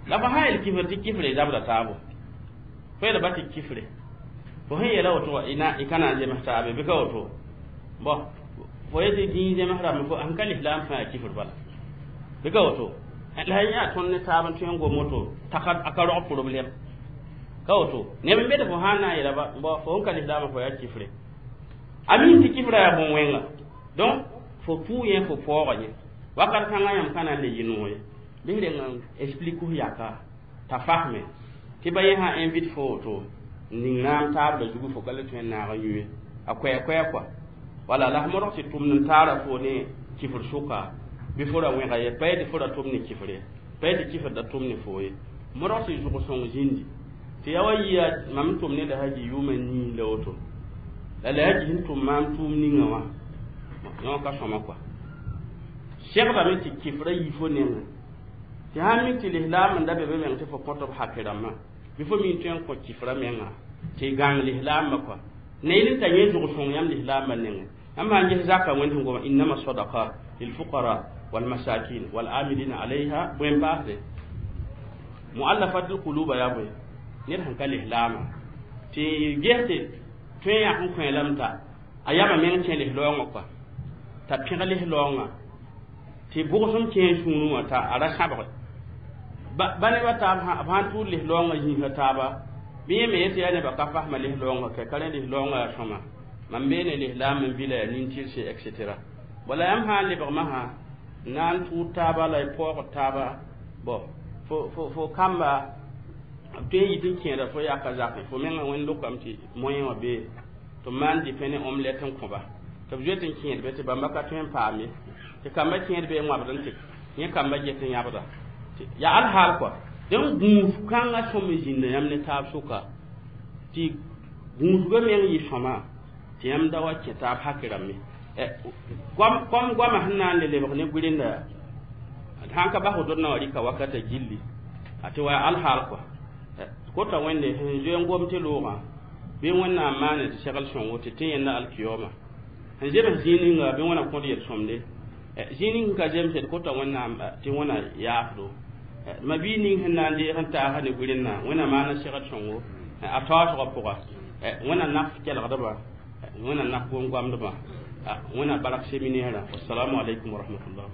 [SPEAKER 1] la fo sã yel kifr tɩ kifre zabda taabo fo yel ba tɩ kifre Fo sẽn yeela woto y ka na n zems taabe bɩ ka woto bõ fo yetɩ dĩin zems rãmb fo sẽn ka lislaam fãa yaa kifr bala bɩ ka woto la yaa tõnd ne taab n tõe n gom woto t'a ka rog problème ka woto neb n bed fo sã n na n yeela bõ fo sẽn ka lislaamã fo yaa kifre a mi tɩ kifra yaa bõn-wẽnga donc fo pʋʋ yẽ fo paooga yẽ wakat kãngã yãmb ka na n le yɩ noog ye bɩ reng n explique f yaka t'a fasme tɩ ba yẽ sã invite fo woto n ning raam taabda zugu fo ka le tõe n naag n yũ ye a koɛɛ kɔa wala la f modg tɩ tʋmd n taara fo ne kifr sʋka bɩ fo ra wẽga ye pa tɩ fo ra tʋm ne kifr ye pa tɩ kifr da tʋm ne fo ye modg tɩ zʋg sõng zĩndi tɩ yaa wa yia mam n tʋm ne la haji yʋʋmã nii la woto la la haji sẽn tʋm maam tʋʋm ninga wã yõ ka sõma kɔa segdame tɩ kifra yi fo nengẽ tɩ sãn mik tɩ lislaam n da be be meng tɩ fo kõt b hake rãmbã bɩ fo mi n tõe n kõ kifra menga tɩ gãng lislaambã kɔa ne n ta yẽ zʋg sõng yãmb lislaambã nengẽ yãmb sãn ges zaka wẽnd sẽn goma innama sadaqat lilfuqara walmasakin walamilina alayha bõe n paasde muallafat lquluba yaa bõe ned sẽn ka lislaamã tɩ ges tɩ tõe n yãk n kõ lame t'a a yama meng kẽ lislaoongã kɔa t'a pẽg lislaoongã tɩ bʋgsem kẽ sũurẽ wã t'a a ra sãbge ba nebã taab b sãn tʋʋd lislaoongã zĩisã taaba bɩ yẽ me yetɩ yaa nebã ka fasma lislaoongã ka ka rẽ lislaoongã yaa sõma mam beene lislaam n vila yaa nin-tɩrse etc wala yãmb sã n lebgmã sã na n tʋʋd taaba la y paoogd taaba bõ fo kamba b tõe n yit n kẽeda fo yaka zakẽ fo mengã wẽnd lokame tɩ moyen wã bee tɩ b maan dɩpẽ ne omelette n kõba tɩ b zoet n kẽed be tɩ bãmba ka tõe n paam ye tɩ kamba kẽed bee wãbd n tɩ yẽ kamba get n yãbda yaa alhaal kɔa dẽn gũus kãngã sõm n zĩnda yãmb ne taab sʋka tɩ gũusgã meng yɩ sõma tɩ yãmb da wa kẽ taab hake rãmbe kom goamã sẽn na n le lebg ne gʋrenda sãn ka bas wotod na wa rɩka wakata gilli a tɩ wa yaa alhaal kɔa kota wẽnde sẽn zoe n gom tɩ loogã bɩ wẽnnaam maane tɩ segl sõngo tɩ tɩ yẽnda alkiyoma sẽn zems zĩig ninga bɩ wẽna kõd yel-sõmde zĩig ning ka zemsd kota wẽnnaam tɩ wẽna yaafdo ma bii ning sẽn na n deeg n taasa ne gʋrenda wẽna maana segl sõngo a taoosgã pʋga wẽna naf kelgdbã wẽna naf gom-goamdbã wẽna bark séminaire wassalamu alaikum wa rahmatullah.